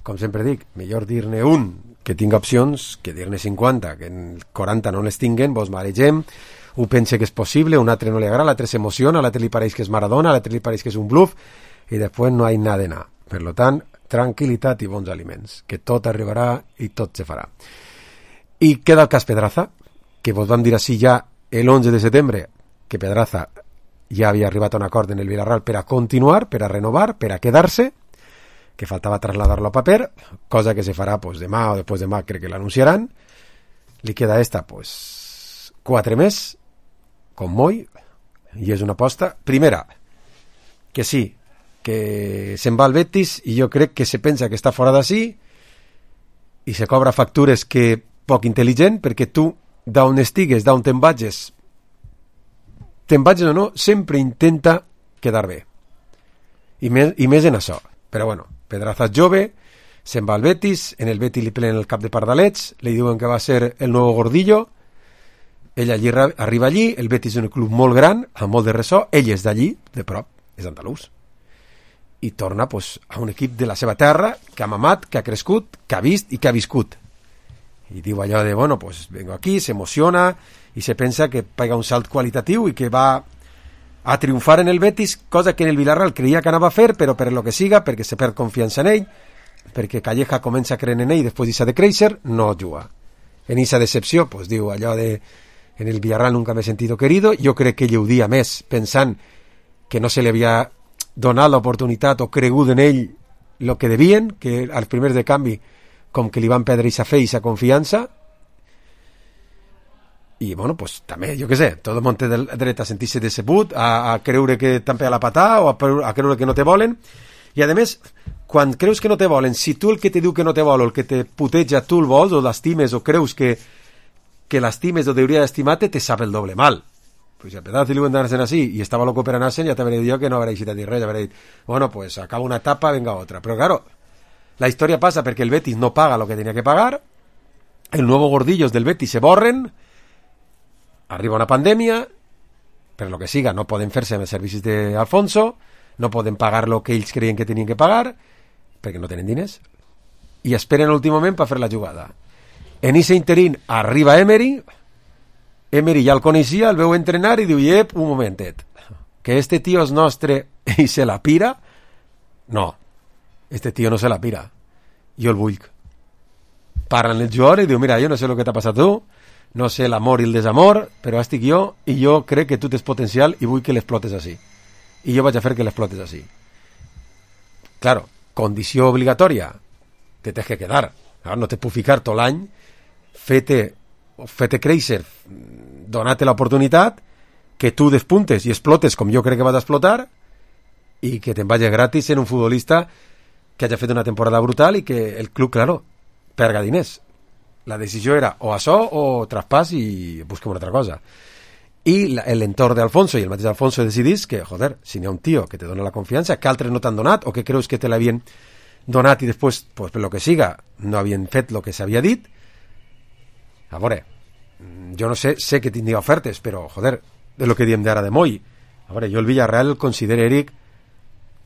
Com sempre dic, millor dir-ne un que tinga opcions que dir-ne cinquanta, que en quaranta no les tinguen, vos maregem, un pense que és possible, un altre no li agrada, l'altre s'emociona, l'altre li pareix que és Maradona, l'altre li pareix que és un bluff, i després no hi ha nada de nada. Per tant, tranquil·litat i bons aliments, que tot arribarà i tot se farà. I queda el cas Pedraza, que vos vam dir així ja l'onze de setembre, que Pedraza ja havia arribat a un acord en el Villarreal per a continuar, per a renovar, per a quedar-se, que faltava trasladar-lo a paper, cosa que se farà pues, demà o després demà, crec que l'anunciaran. Li queda esta, pues, quatre més, com Moi, i és una aposta. Primera, que sí, que se'n va al Betis i jo crec que se pensa que està fora d'ací i se cobra factures que poc intel·ligent, perquè tu d'on estigues, d'on te'n vagis te'n vagis o no, sempre intenta quedar bé. I més, i més en això. Però bueno, Pedraza és jove, se'n va al Betis, en el Betis li pelen el cap de pardalets, li diuen que va ser el nou Gordillo, ell allí arriba allí, el Betis és un club molt gran, amb molt de ressò, ell és d'allí, de prop, és andalús, i torna pues, a un equip de la seva terra, que ha mamat, que ha crescut, que ha vist i que ha viscut. I diu allò de, bueno, pues vengo aquí, s'emociona, i se pensa que pega un salt qualitatiu i que va a triomfar en el Betis, cosa que en el Villarreal creia que anava a fer, però per lo que siga, perquè se perd confiança en ell, perquè Calleja comença a creure en ell i després deixa de créixer, no juga. En esa decepció, pues diu allò de en el Villarreal nunca me he sentido querido, jo crec que ell ho dia més pensant que no se li havia donat l'oportunitat o cregut en ell el que devien, que als primers de canvi com que li van perdre aquesta fe i aquesta confiança. I bueno, pues també, jo què sé, tot el món té dret a sentir-se decebut, a, a creure que t'han pegat la patà o a, a creure que no te volen. I a més, quan creus que no te volen, si tu el que te diu que no te vol o el que te puteja tu el vols o l'estimes o creus que, que l'estimes o hauria d'estimar-te, te sap el doble mal. Pues si a Pedraza li ho han d'anar així i estava loco per anar-se'n, ja t'hauré dit jo que no hauré dit a dir res, hauré dit, bueno, pues acaba una etapa, venga otra. Però claro, la història passa perquè el Betis no paga lo que tenia que pagar, el nuevo Gordillos del Betis se borren, arriba una pandèmia, per lo que siga no poden fer-se amb els servicis d'Alfonso, no poden pagar lo que ells creien que tenien que pagar, perquè no tenen diners, i esperen l'últim moment per fer la jugada. En ese interín arriba Emery, Emery ja el coneixia, el veu entrenar i diu, ep, un momentet, que este tio és nostre i se la pira? No, este tio no se la pira, jo el vull. Parlen el jugador i diu, mira, jo no sé el que t'ha passat tu, no sé l'amor i el desamor, però estic jo i jo crec que tu tens potencial i vull que l'explotes així. I jo vaig a fer que l'explotes així. Claro, condició obligatòria, te tens que quedar. Claro, no te puc ficar tot l'any, fete, fete créixer, donar-te l'oportunitat, que tu despuntes i explotes com jo crec que vas a explotar i que te'n vagi gratis en un futbolista que hagi fet una temporada brutal i que el club, claro, perga diners. La decisió era o això o traspàs i busquem una altra cosa. I l'entorn d'Alfonso i el mateix Alfonso decidís que, joder, si n'hi ha un tio que te dona la confiança, que altres no t'han donat o que creus que te l'havien donat i després, pues, per lo que siga, no havien fet el que s'havia dit. A veure, jo no sé, sé que tindria ofertes, però, joder, de lo que diem d'ara de Moll. A veure, jo el Villarreal el considero, Eric,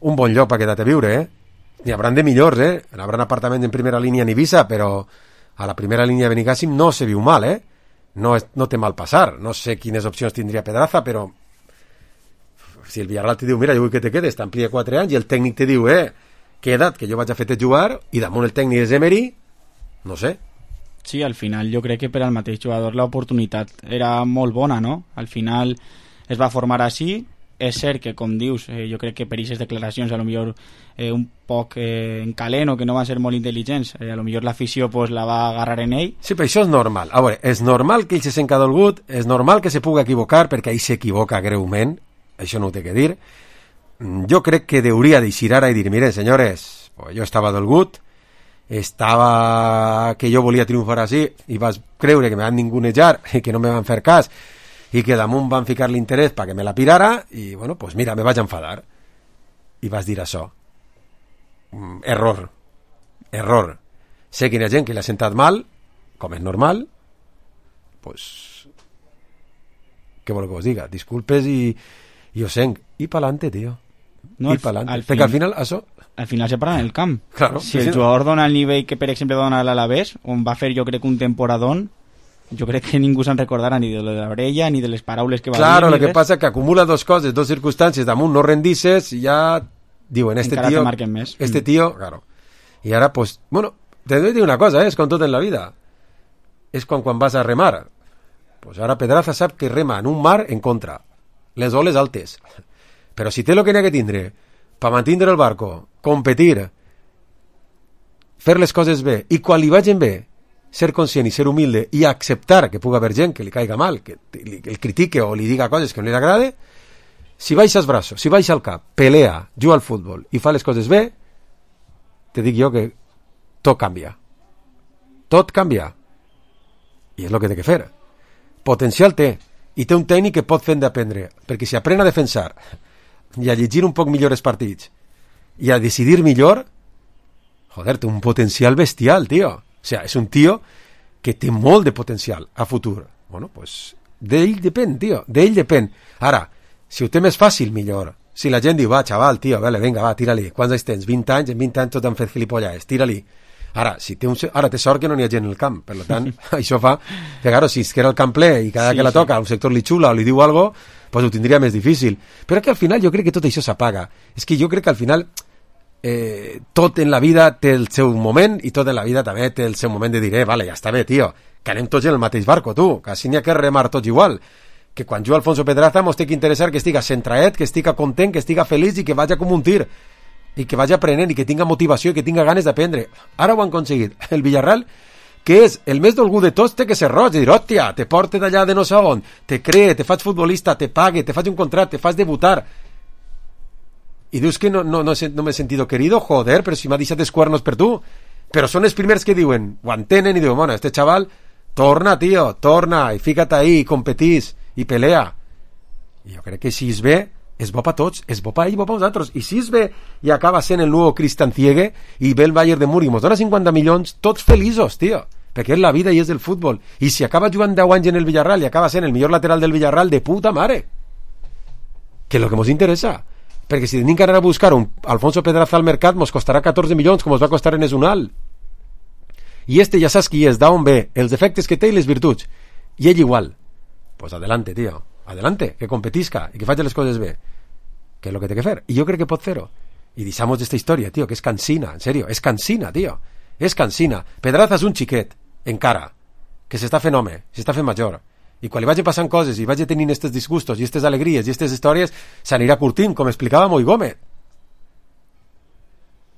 un bon lloc per quedar-te a viure, eh? N'hi hauran de millors, eh? N'hi hauran apartaments en primera línia en Ibiza, però a la primera línia de Benicàssim no se viu mal, eh? No, és, no té mal passar. No sé quines opcions tindria Pedraza, però si el Villarreal te diu, mira, jo vull que te quedes, t'amplia quatre anys, i el tècnic te diu, eh, queda't, que jo vaig a fer-te jugar, i damunt el tècnic és Emery, no sé. Sí, al final jo crec que per al mateix jugador l'oportunitat era molt bona, no? Al final es va formar així. És cert que, com dius, eh, jo crec que per aquestes declaracions a lo millor eh, un poc eh, en calent o que no van ser molt intel·ligents, eh, a lo millor l'afició pues, la va agarrar en ell. Sí, però això és normal. A veure, és normal que ell se sent dolgut, és normal que se pugui equivocar, perquè ell s'equivoca greument, això no ho té que dir. Jo crec que hauria d'eixir ara i dir, miren, senyores, pues jo estava dolgut, estava que jo volia triomfar així, i vas creure que me van ningunejar i que no me van fer cas, i que damunt van ficar l'interès perquè me la pirara i, bueno, pues mira, me vaig enfadar i vas dir això. Mm, error error sé que hi ha gent que l'ha sentat mal, com és normal, pues què vol que us diga, disculpes i, i ho sent, i pa'lante, tio, no, i pa'lante, al perquè al final això al final se para en el camp. Claro, si el jugador dona el nivell que per exemple dona l'Alavés, on va fer jo crec un temporadón, jo crec que ningú se'n recordarà ni de la brella ni de les paraules que va claro, dir. Claro, el que passa que acumula dos coses, dos circumstàncies, damunt no rendisses i ja diuen, este encara tio més. este tio, claro, i ara pues, bueno, te doy dir una cosa, eh? És com tot en la vida, és com quan vas a remar, pues ara Pedraza sap que rema en un mar en contra, les oles altes, però si té el que n'hi ha que tindre per mantenir el barco, competir, fer les coses bé, i quan li vagin bé ser conscient i ser humilde i acceptar que pugui haver gent que li caiga mal, que el critique o li diga coses que no li agrade, si baixa els braços, si baixa el cap, pelea, juga al futbol i fa les coses bé, te dic jo que tot canvia. Tot canvia. I és el que té que fer. Potencial té. I té un tècnic que pot fer d'aprendre. Perquè si aprèn a defensar, i a llegir un poc millor els partits i a decidir millor, joder, té un potencial bestial, tio. O sea, és un tio que té molt de potencial a futur. Bueno, pues d'ell depèn, tio, d'ell depèn. Ara, si ho té més fàcil, millor. Si la gent diu, va, xaval, tio, vale, venga, va, tira-li. Quants anys tens? vint anys? En vint anys tot han fet gilipolles, tira-li. Ara, si té un... Ara té sort que no n'hi ha gent en el camp, per tant, això fa que, claro, si es queda el camp ple i cada sí, que la toca sí. un sector li xula o li diu algo, pues ho tindria més difícil. Però que al final jo crec que tot això s'apaga. És que jo crec que al final eh, tot en la vida té el seu moment i tot en la vida també té el seu moment de dir, eh, vale, ja està bé, tio, que anem tots en el mateix barco, tu, que així n'hi ha que remar tots igual. Que quan juga Alfonso Pedraza mos té que interessar que estiga centraet, que estiga content, que estiga feliç i que vagi com un tir. I que vagi aprenent i que tinga motivació i que tinga ganes d'aprendre. Ara ho han aconseguit. El Villarreal, que és el més dolgut de tots, té que ser roig i dir, hòstia, te porte d'allà de no sé on, te cree, te faig futbolista, te pague, te faig un contracte, te faig debutar. I dius que no, no, no, no m'he sentido querido, joder, però si m'ha deixat els cuernos per tu. Però són els primers que diuen, ho entenen i diuen, bueno, este chaval, torna, tio, torna, i fica't ahí, i competís, i pelea. I jo crec que si és bé, és bo per tots, és bo per ell i bo per nosaltres. I si és bé i acaba sent el nou Christian Ziege i ve el Bayern de Múnich, mos dona cinquanta milions, tots feliços, tio, perquè és la vida i és el futbol. I si acaba jugant deu anys en el Villarreal i acaba sent el millor lateral del Villarreal, de puta mare, que és el que mos interessa. Perquè si tenim que anar a buscar un Alfonso Pedraza al mercat, mos costarà catorze milions, com mos va costar en Esunal. I este ja saps qui és, d'on ve, els defectes que té i les virtuts. I ell igual. Pues adelante, tío. Adelante, que competisca y que faci les coses bé, que és el que té que fer, i jo crec que pot fer-ho, i deixamos d'esta història, tio, que és cansina, en serio, és cansina, tio, és cansina. Pedraza és un xiquet, encara, que s'està fent home, s'està fent major, i quan li vagi passant coses i vagi tenint estes disgustos i estes alegries i estes històries, s'anirà curtint, com explicava Moi Gómez,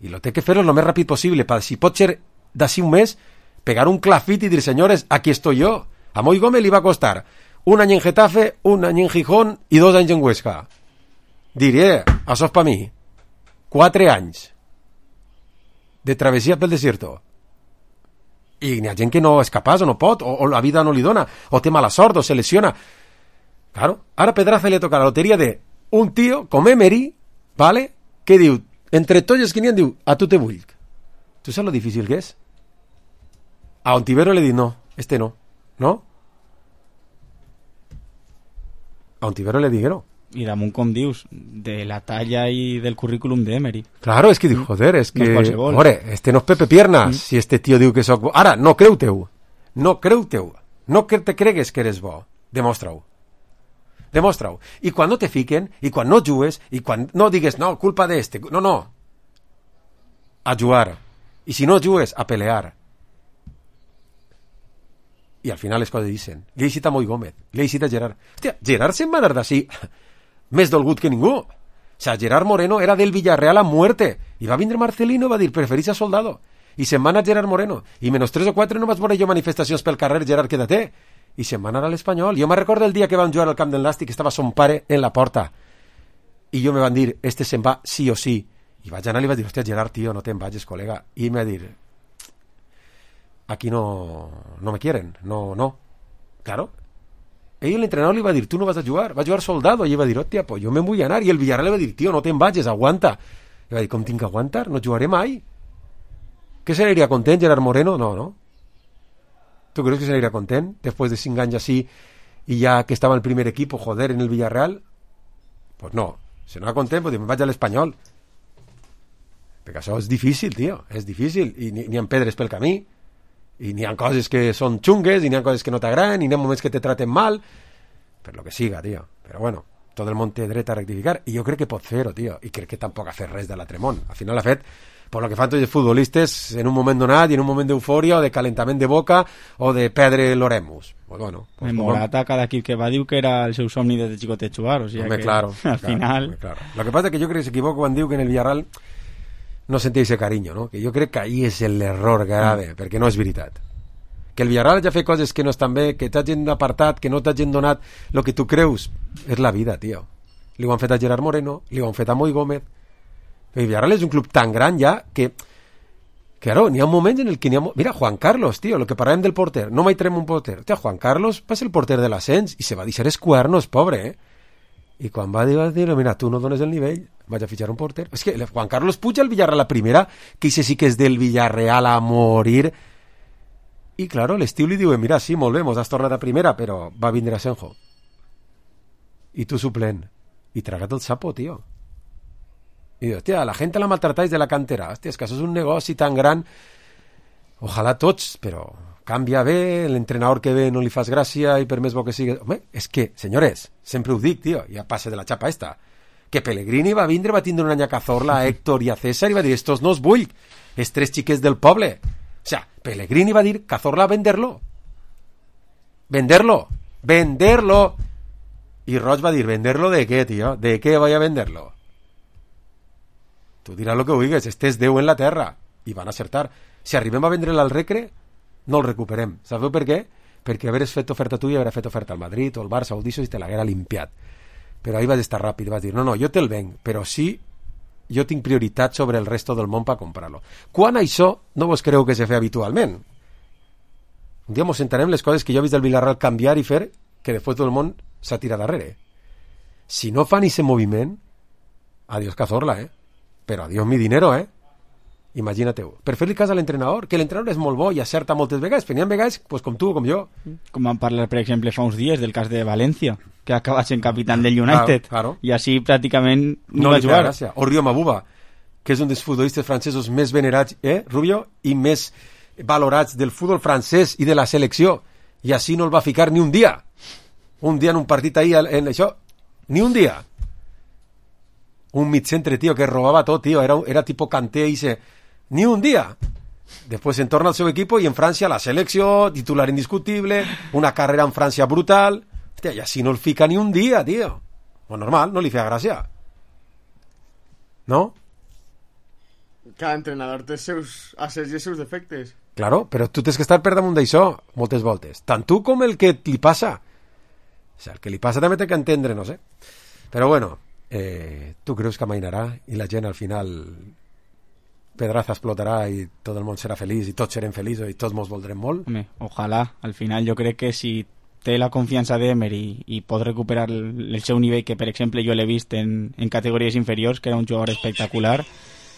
i lo té que fer-ho el més ràpid possible, per si pot ser d'ací un mes, pegar un clafit i dir, senyores, aquí estoy yo. A Moi Gómez li va costar un any en Getafe, un any en Gijón i dos anys en Huesca. Diré, això és per mi. Quatre anys de travessia pel desierto. I n'hi ha gent que no és capaç o no pot, o, o la vida no li dona, o té mala sort, o se lesiona. Claro, ara a Pedraza li toca la loteria de un tio com Emery, ¿vale? Que diu, entre tots els que n'hi ha, diu, a tu te vull. Tu saps lo difícil que és? A Ontivero li diu, no, este no, no? A Ontivero le diguero. I damunt, com dius, de la talla i del currículum d'Emery. Claro, és que diu, joder, és que... No Ore, este no és Pepe Piernas, mm. si este tio diu que soc bo. Ara, no creu-teu. No creu-teu. No que te cregues que eres bo. Demostra-ho. Demostra-ho. I quan no te fiquen, i quan no jugues, i quan no digues, no, culpa d'este. No, no. A jugar. I si no jugues, a pelear. I al final les coses dicen. Li he dit a Moi Gómez, li he dit a Gerard. Hòstia, Gerard se'n va anar d'ací més dolgut que ningú. O sea, Gerard Moreno era del Villarreal a muerte. I va vindre Marcelino i va dir, preferís a Soldado. I se'n va anar Gerard Moreno. I menys tres o quatre no vaig veure jo manifestacions pel carrer, Gerard, quédate. I se'n va anar a l'Espanyol. Jo me recordo el dia que vam jugar al camp del Nàstic, que estava son pare en la porta. I jo me van dir, este se'n va sí o sí. I vaig anar i li vaig dir, hòstia, Gerard, tio, no te'n vagis, col·lega. I me va dir... aquí no, no me quieren, no, no. Claro. Ell, el entrenador, li va dir, tu no vas a jugar, va jugar Soldado, i ell va dir, hòstia, pues jo me vull anar, i el Villarreal li va dir, tio, no te'n vagis, aguanta. I va dir, com tinc que aguantar? No jugaré mai. Què se n'aniria content, Gerard Moreno? No, no. Tu creus que se n'aniria content, després de cinc anys així, i ja que estava el primer equip, joder, en el Villarreal? Pues no. Si no va content, pues me vaig a l'Espanyol. Perquè això és difícil, tio, és difícil, i n'hi ha pedres pel camí, i n'hi ha coses que són xungues, i n'hi ha coses que no t'agraden, i n'hi ha moments que te traten mal, per lo que siga, tio. Però bueno, tot el món té dret a rectificar, i jo crec que pot fer-ho, tio, i crec que tampoc ha fet res de l'altre món. Al final ha fet, per lo que fan tots els futbolistes, en un moment donat, i en un moment d'eufòria, o de calentament de boca, o de perdre l'oremus. Pues bueno. Pues Morata, cada equip que va, diu que era el seu somni des de xicotet jugar, o sigui home, que claro, al claro, final... Claro. Lo que pasa es que jo crec que s'equivoca quan diu que en el Villarreal no sentia ese cariño, no? Que jo crec que ahí és l'error grave, mm. perquè no és veritat. Que el Villarreal ja fa coses que no estan bé, que t'hagin apartat, que no t'hagin donat el que tu creus, és la vida, tio. Li ho han fet a Gerard Moreno, li ho han fet a Moi Gómez. El Villarreal és un club tan gran ja que, claro, n'hi ha un moment en el que n'hi ha... Mira, Juan Carlos, tio, lo que parlem del porter, no mai traiem un porter. Hòstia, Juan Carlos va ser el porter de l'ascens i se va deixar els cuernos, pobre, eh? I quan va dir, va dir, mira, tu no dones el nivell, vaig a fitxar un porter. És que Juan Carlos Puig al Villarreal, la primera, que ese sí que és del Villarreal a morir. I, claro, l'estiu li diuen, mira, sí, molt bé, mos has tornat a primera, però va vindre a Senjo. I tu suplent. I traga't el sapo, tio. I dius, hòstia, la gent la maltratáis de la cantera. Hòstia, és que això és un negoci tan gran. Ojalà tots, però canvia bé, l'entrenador que ve no li fas gràcia i per més bo que sigui... Home, és que, senyores, sempre ho dic, tio, ja passa de la xapa esta, que Pellegrini va vindre, va tindre una any a Cazorla, a Héctor i a César i va dir, estos no els vull, els tres xiquets del poble. O sea, Pellegrini va dir, Cazorla, venderlo. Venderlo. Venderlo. I Roig va dir, ¿venderlo de qué, tío? ¿De qué voy a venderlo? Tu diràs lo que vulguis, este és Déu en la terra. I van acertar. Si arribem a vendre'l al Recre, no el recuperem. Sabeu per què? Perquè haveres fet oferta tu i haver fet oferta al Madrid o al Barça o al Disso i te l'haguera limpiat. Però ahí vas estar ràpid, vas dir, no, no, jo te'l venc, però sí, jo tinc prioritat sobre el resto del món per comprar-lo. Quan això no vos creu que se fa habitualment? Un dia mos sentarem les coses que jo he vist del Villarreal canviar i fer que després tot el món s'ha tirat darrere. Si no fan ese moviment, adiós Cazorla, eh? Però adiós mi dinero, eh? Imagina-te-ho. Per fer-li cas a l'entrenador, que l'entrenador és molt bo i acerta moltes vegades, però n'hi ha vegades pues, com tu, com jo. Com vam parlar, per exemple, fa uns dies del cas de València, que ha acabat sent capitán del United, claro, claro. I així pràcticament no, no va jugar. Gràcia. O Rio Mabuba, que és un dels futbolistes francesos més venerats, eh, Rubio, i més valorats del futbol francès i de la selecció, i així no el va ficar ni un dia. Un dia en un partit ahí, en això, ni un dia. Un mid-centre, tío, que robaba todo, tío, era, era tipo Kanté y se... Ni un día. Después se entorna al seu equipo y en Francia la selecció, titular indiscutible, una carrera en Francia brutal. Hòstia, i així no el fica ni un dia, tío. Pues normal, no li feia gràcia. ¿No? Cada entrenador té seus assets i seus defectes. Claro, però tu tens que estar per damunt d'això moltes voltes. Tant tu com el que li passa. O sea, el que li passa també té que entendre, no sé. Però bueno, eh, tu creus que amainarà i la gent al final... Pedraza explotarà i tot el món serà feliç i tots serem feliços i tots mos voldrem molt. Home, ojalà, al final jo crec que si té la confiança d'Emer i, i pot recuperar el, el seu nivell, que per exemple jo l'he vist en, en categories inferiors, que era un jugador espectacular,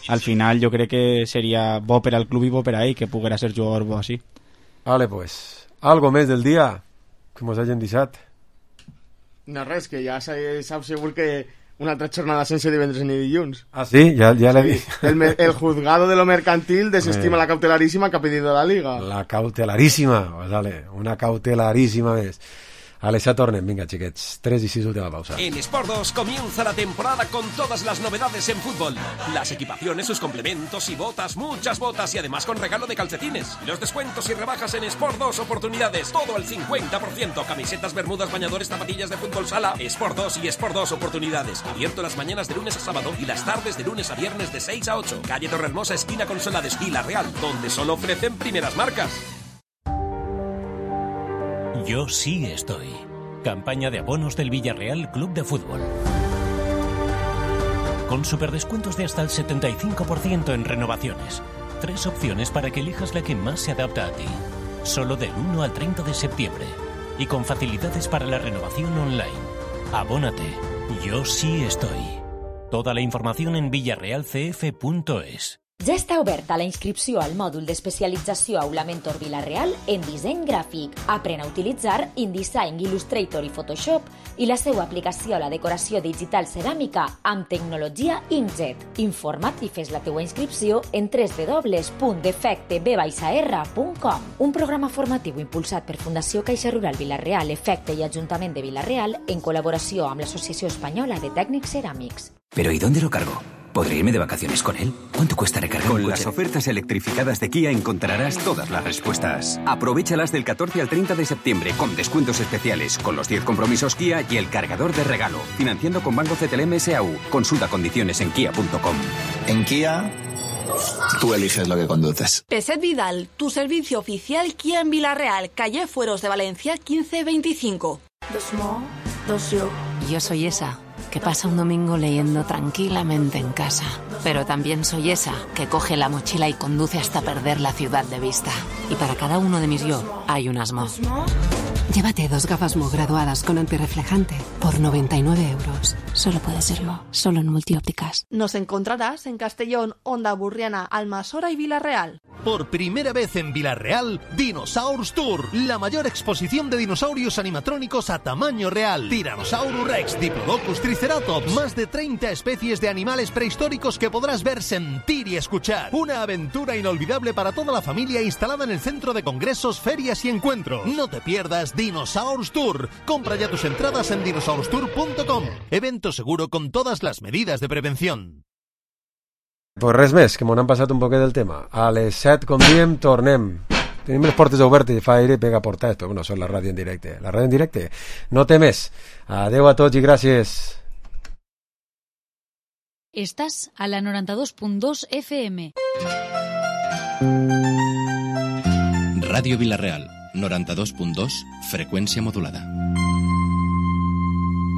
al final jo crec que seria bo per al club i bo per a ell que poguera ser jugador bo així. Vale, pues, algo més del dia que mos hagin deixat. No res, que ja saps segur que una altra jornada sense divendres ni dilluns. Ah, sí? Ja, ja l'he vist. El, el juzgado de lo mercantil desestima la cautelarísima que ha pedido la Liga. La cautelarísima, pues dale, una cautelarísima vez. Vale, ya tornen, venga, chiquets. tres y seis, última pausa. En Sport dos comienza la temporada con todas las novedades en fútbol. Las equipaciones, sus complementos y botas, muchas botas y además con regalo de calcetines. Los descuentos y rebajas en Sport dos Oportunidades, todo al cincuenta por ciento. Camisetas, bermudas, bañadores, zapatillas de fútbol sala. Sport dos y Sport dos Oportunidades. Abierto las mañanas de lunes a sábado y las tardes de lunes a viernes de seis a ocho. Calle Torrehermosa, esquina con Solades, Villarreal, donde solo ofrecen primeras marcas. Yo sí estoy. Campaña de abonos del Villarreal Club de Fútbol. Con superdescuentos de hasta el setenta y cinco por ciento en renovaciones. Tres opciones para que elijas la que más se adapta a ti. Solo del uno al treinta de septiembre. Y con facilidades para la renovación online. Abónate. Yo sí estoy. Toda la información en villarreal c f punto es. Ja està oberta la inscripció al mòdul d'especialització Aula Mentor Villarreal en disseny gràfic. Aprèn a utilitzar InDesign, Illustrator i Photoshop i la seva aplicació a la decoració digital ceràmica amb tecnologia Inkjet. Informa't i fes la teua inscripció en w w w punt defecte b r punt com. Un programa formatiu impulsat per Fundació Caixa Rural Villarreal, Efecte i Ajuntament de Villarreal en col·laboració amb l'Associació Espanyola de Tècnics Ceràmics. ¿Pero y dónde lo cargo? ¿Podré irme de vacaciones con él? ¿Cuánto cuesta recargar un coche? Con las ofertas electrificadas de Kia encontrarás todas las respuestas. Aprovéchalas del catorce al treinta de septiembre con descuentos especiales, con los diez compromisos Kia y el cargador de regalo. Financiando con Banco C T L M S A U. Consulta condiciones en kia punto com. En Kia, tú eliges lo que conduces. Peset Vidal, tu servicio oficial Kia en Villarreal, calle Fueros de Valencia quince veinticinco. Dos small, dos yo. Yo soy esa que pasa un domingo leyendo tranquilamente en casa. Pero también soy esa que coge la mochila y conduce hasta perder la ciudad de vista. Y para cada uno de mis yo hay un asmo. Llévate dos gafas Mo graduadas con antirreflejante por noventa y nueve euros. Solo puede serlo, solo en Multiópticas. Nos encontrarás en Castellón, Onda Burriana, Almasora y Villarreal. Por primera vez en Villarreal, Dinosaurs Tour, la mayor exposición de dinosaurios animatrónicos a tamaño real. Tyrannosaurus Rex, Diplodocus, Triceratops, más de treinta especies de animales prehistóricos que podrás ver, sentir y escuchar. Una aventura inolvidable para toda la familia instalada en el centro de congresos, ferias y encuentros. No te pierdas Dinosaurs Tour. Compra ya tus entradas en dinosaurs tour punto com. Evento seguro con todas las medidas de prevención. Pues res més, que m'ho han passat un poquet del tema. A les set, com diem, tornem. Tenim les portes obertes i fa aire i pega portades, però bueno, són la ràdio en directe. La ràdio en directe no té més. Adeu a tots i gràcies. Estàs a la noranta-dos punt dos F M. Ràdio Vilareal, noranta-dos punt dos, freqüència modulada.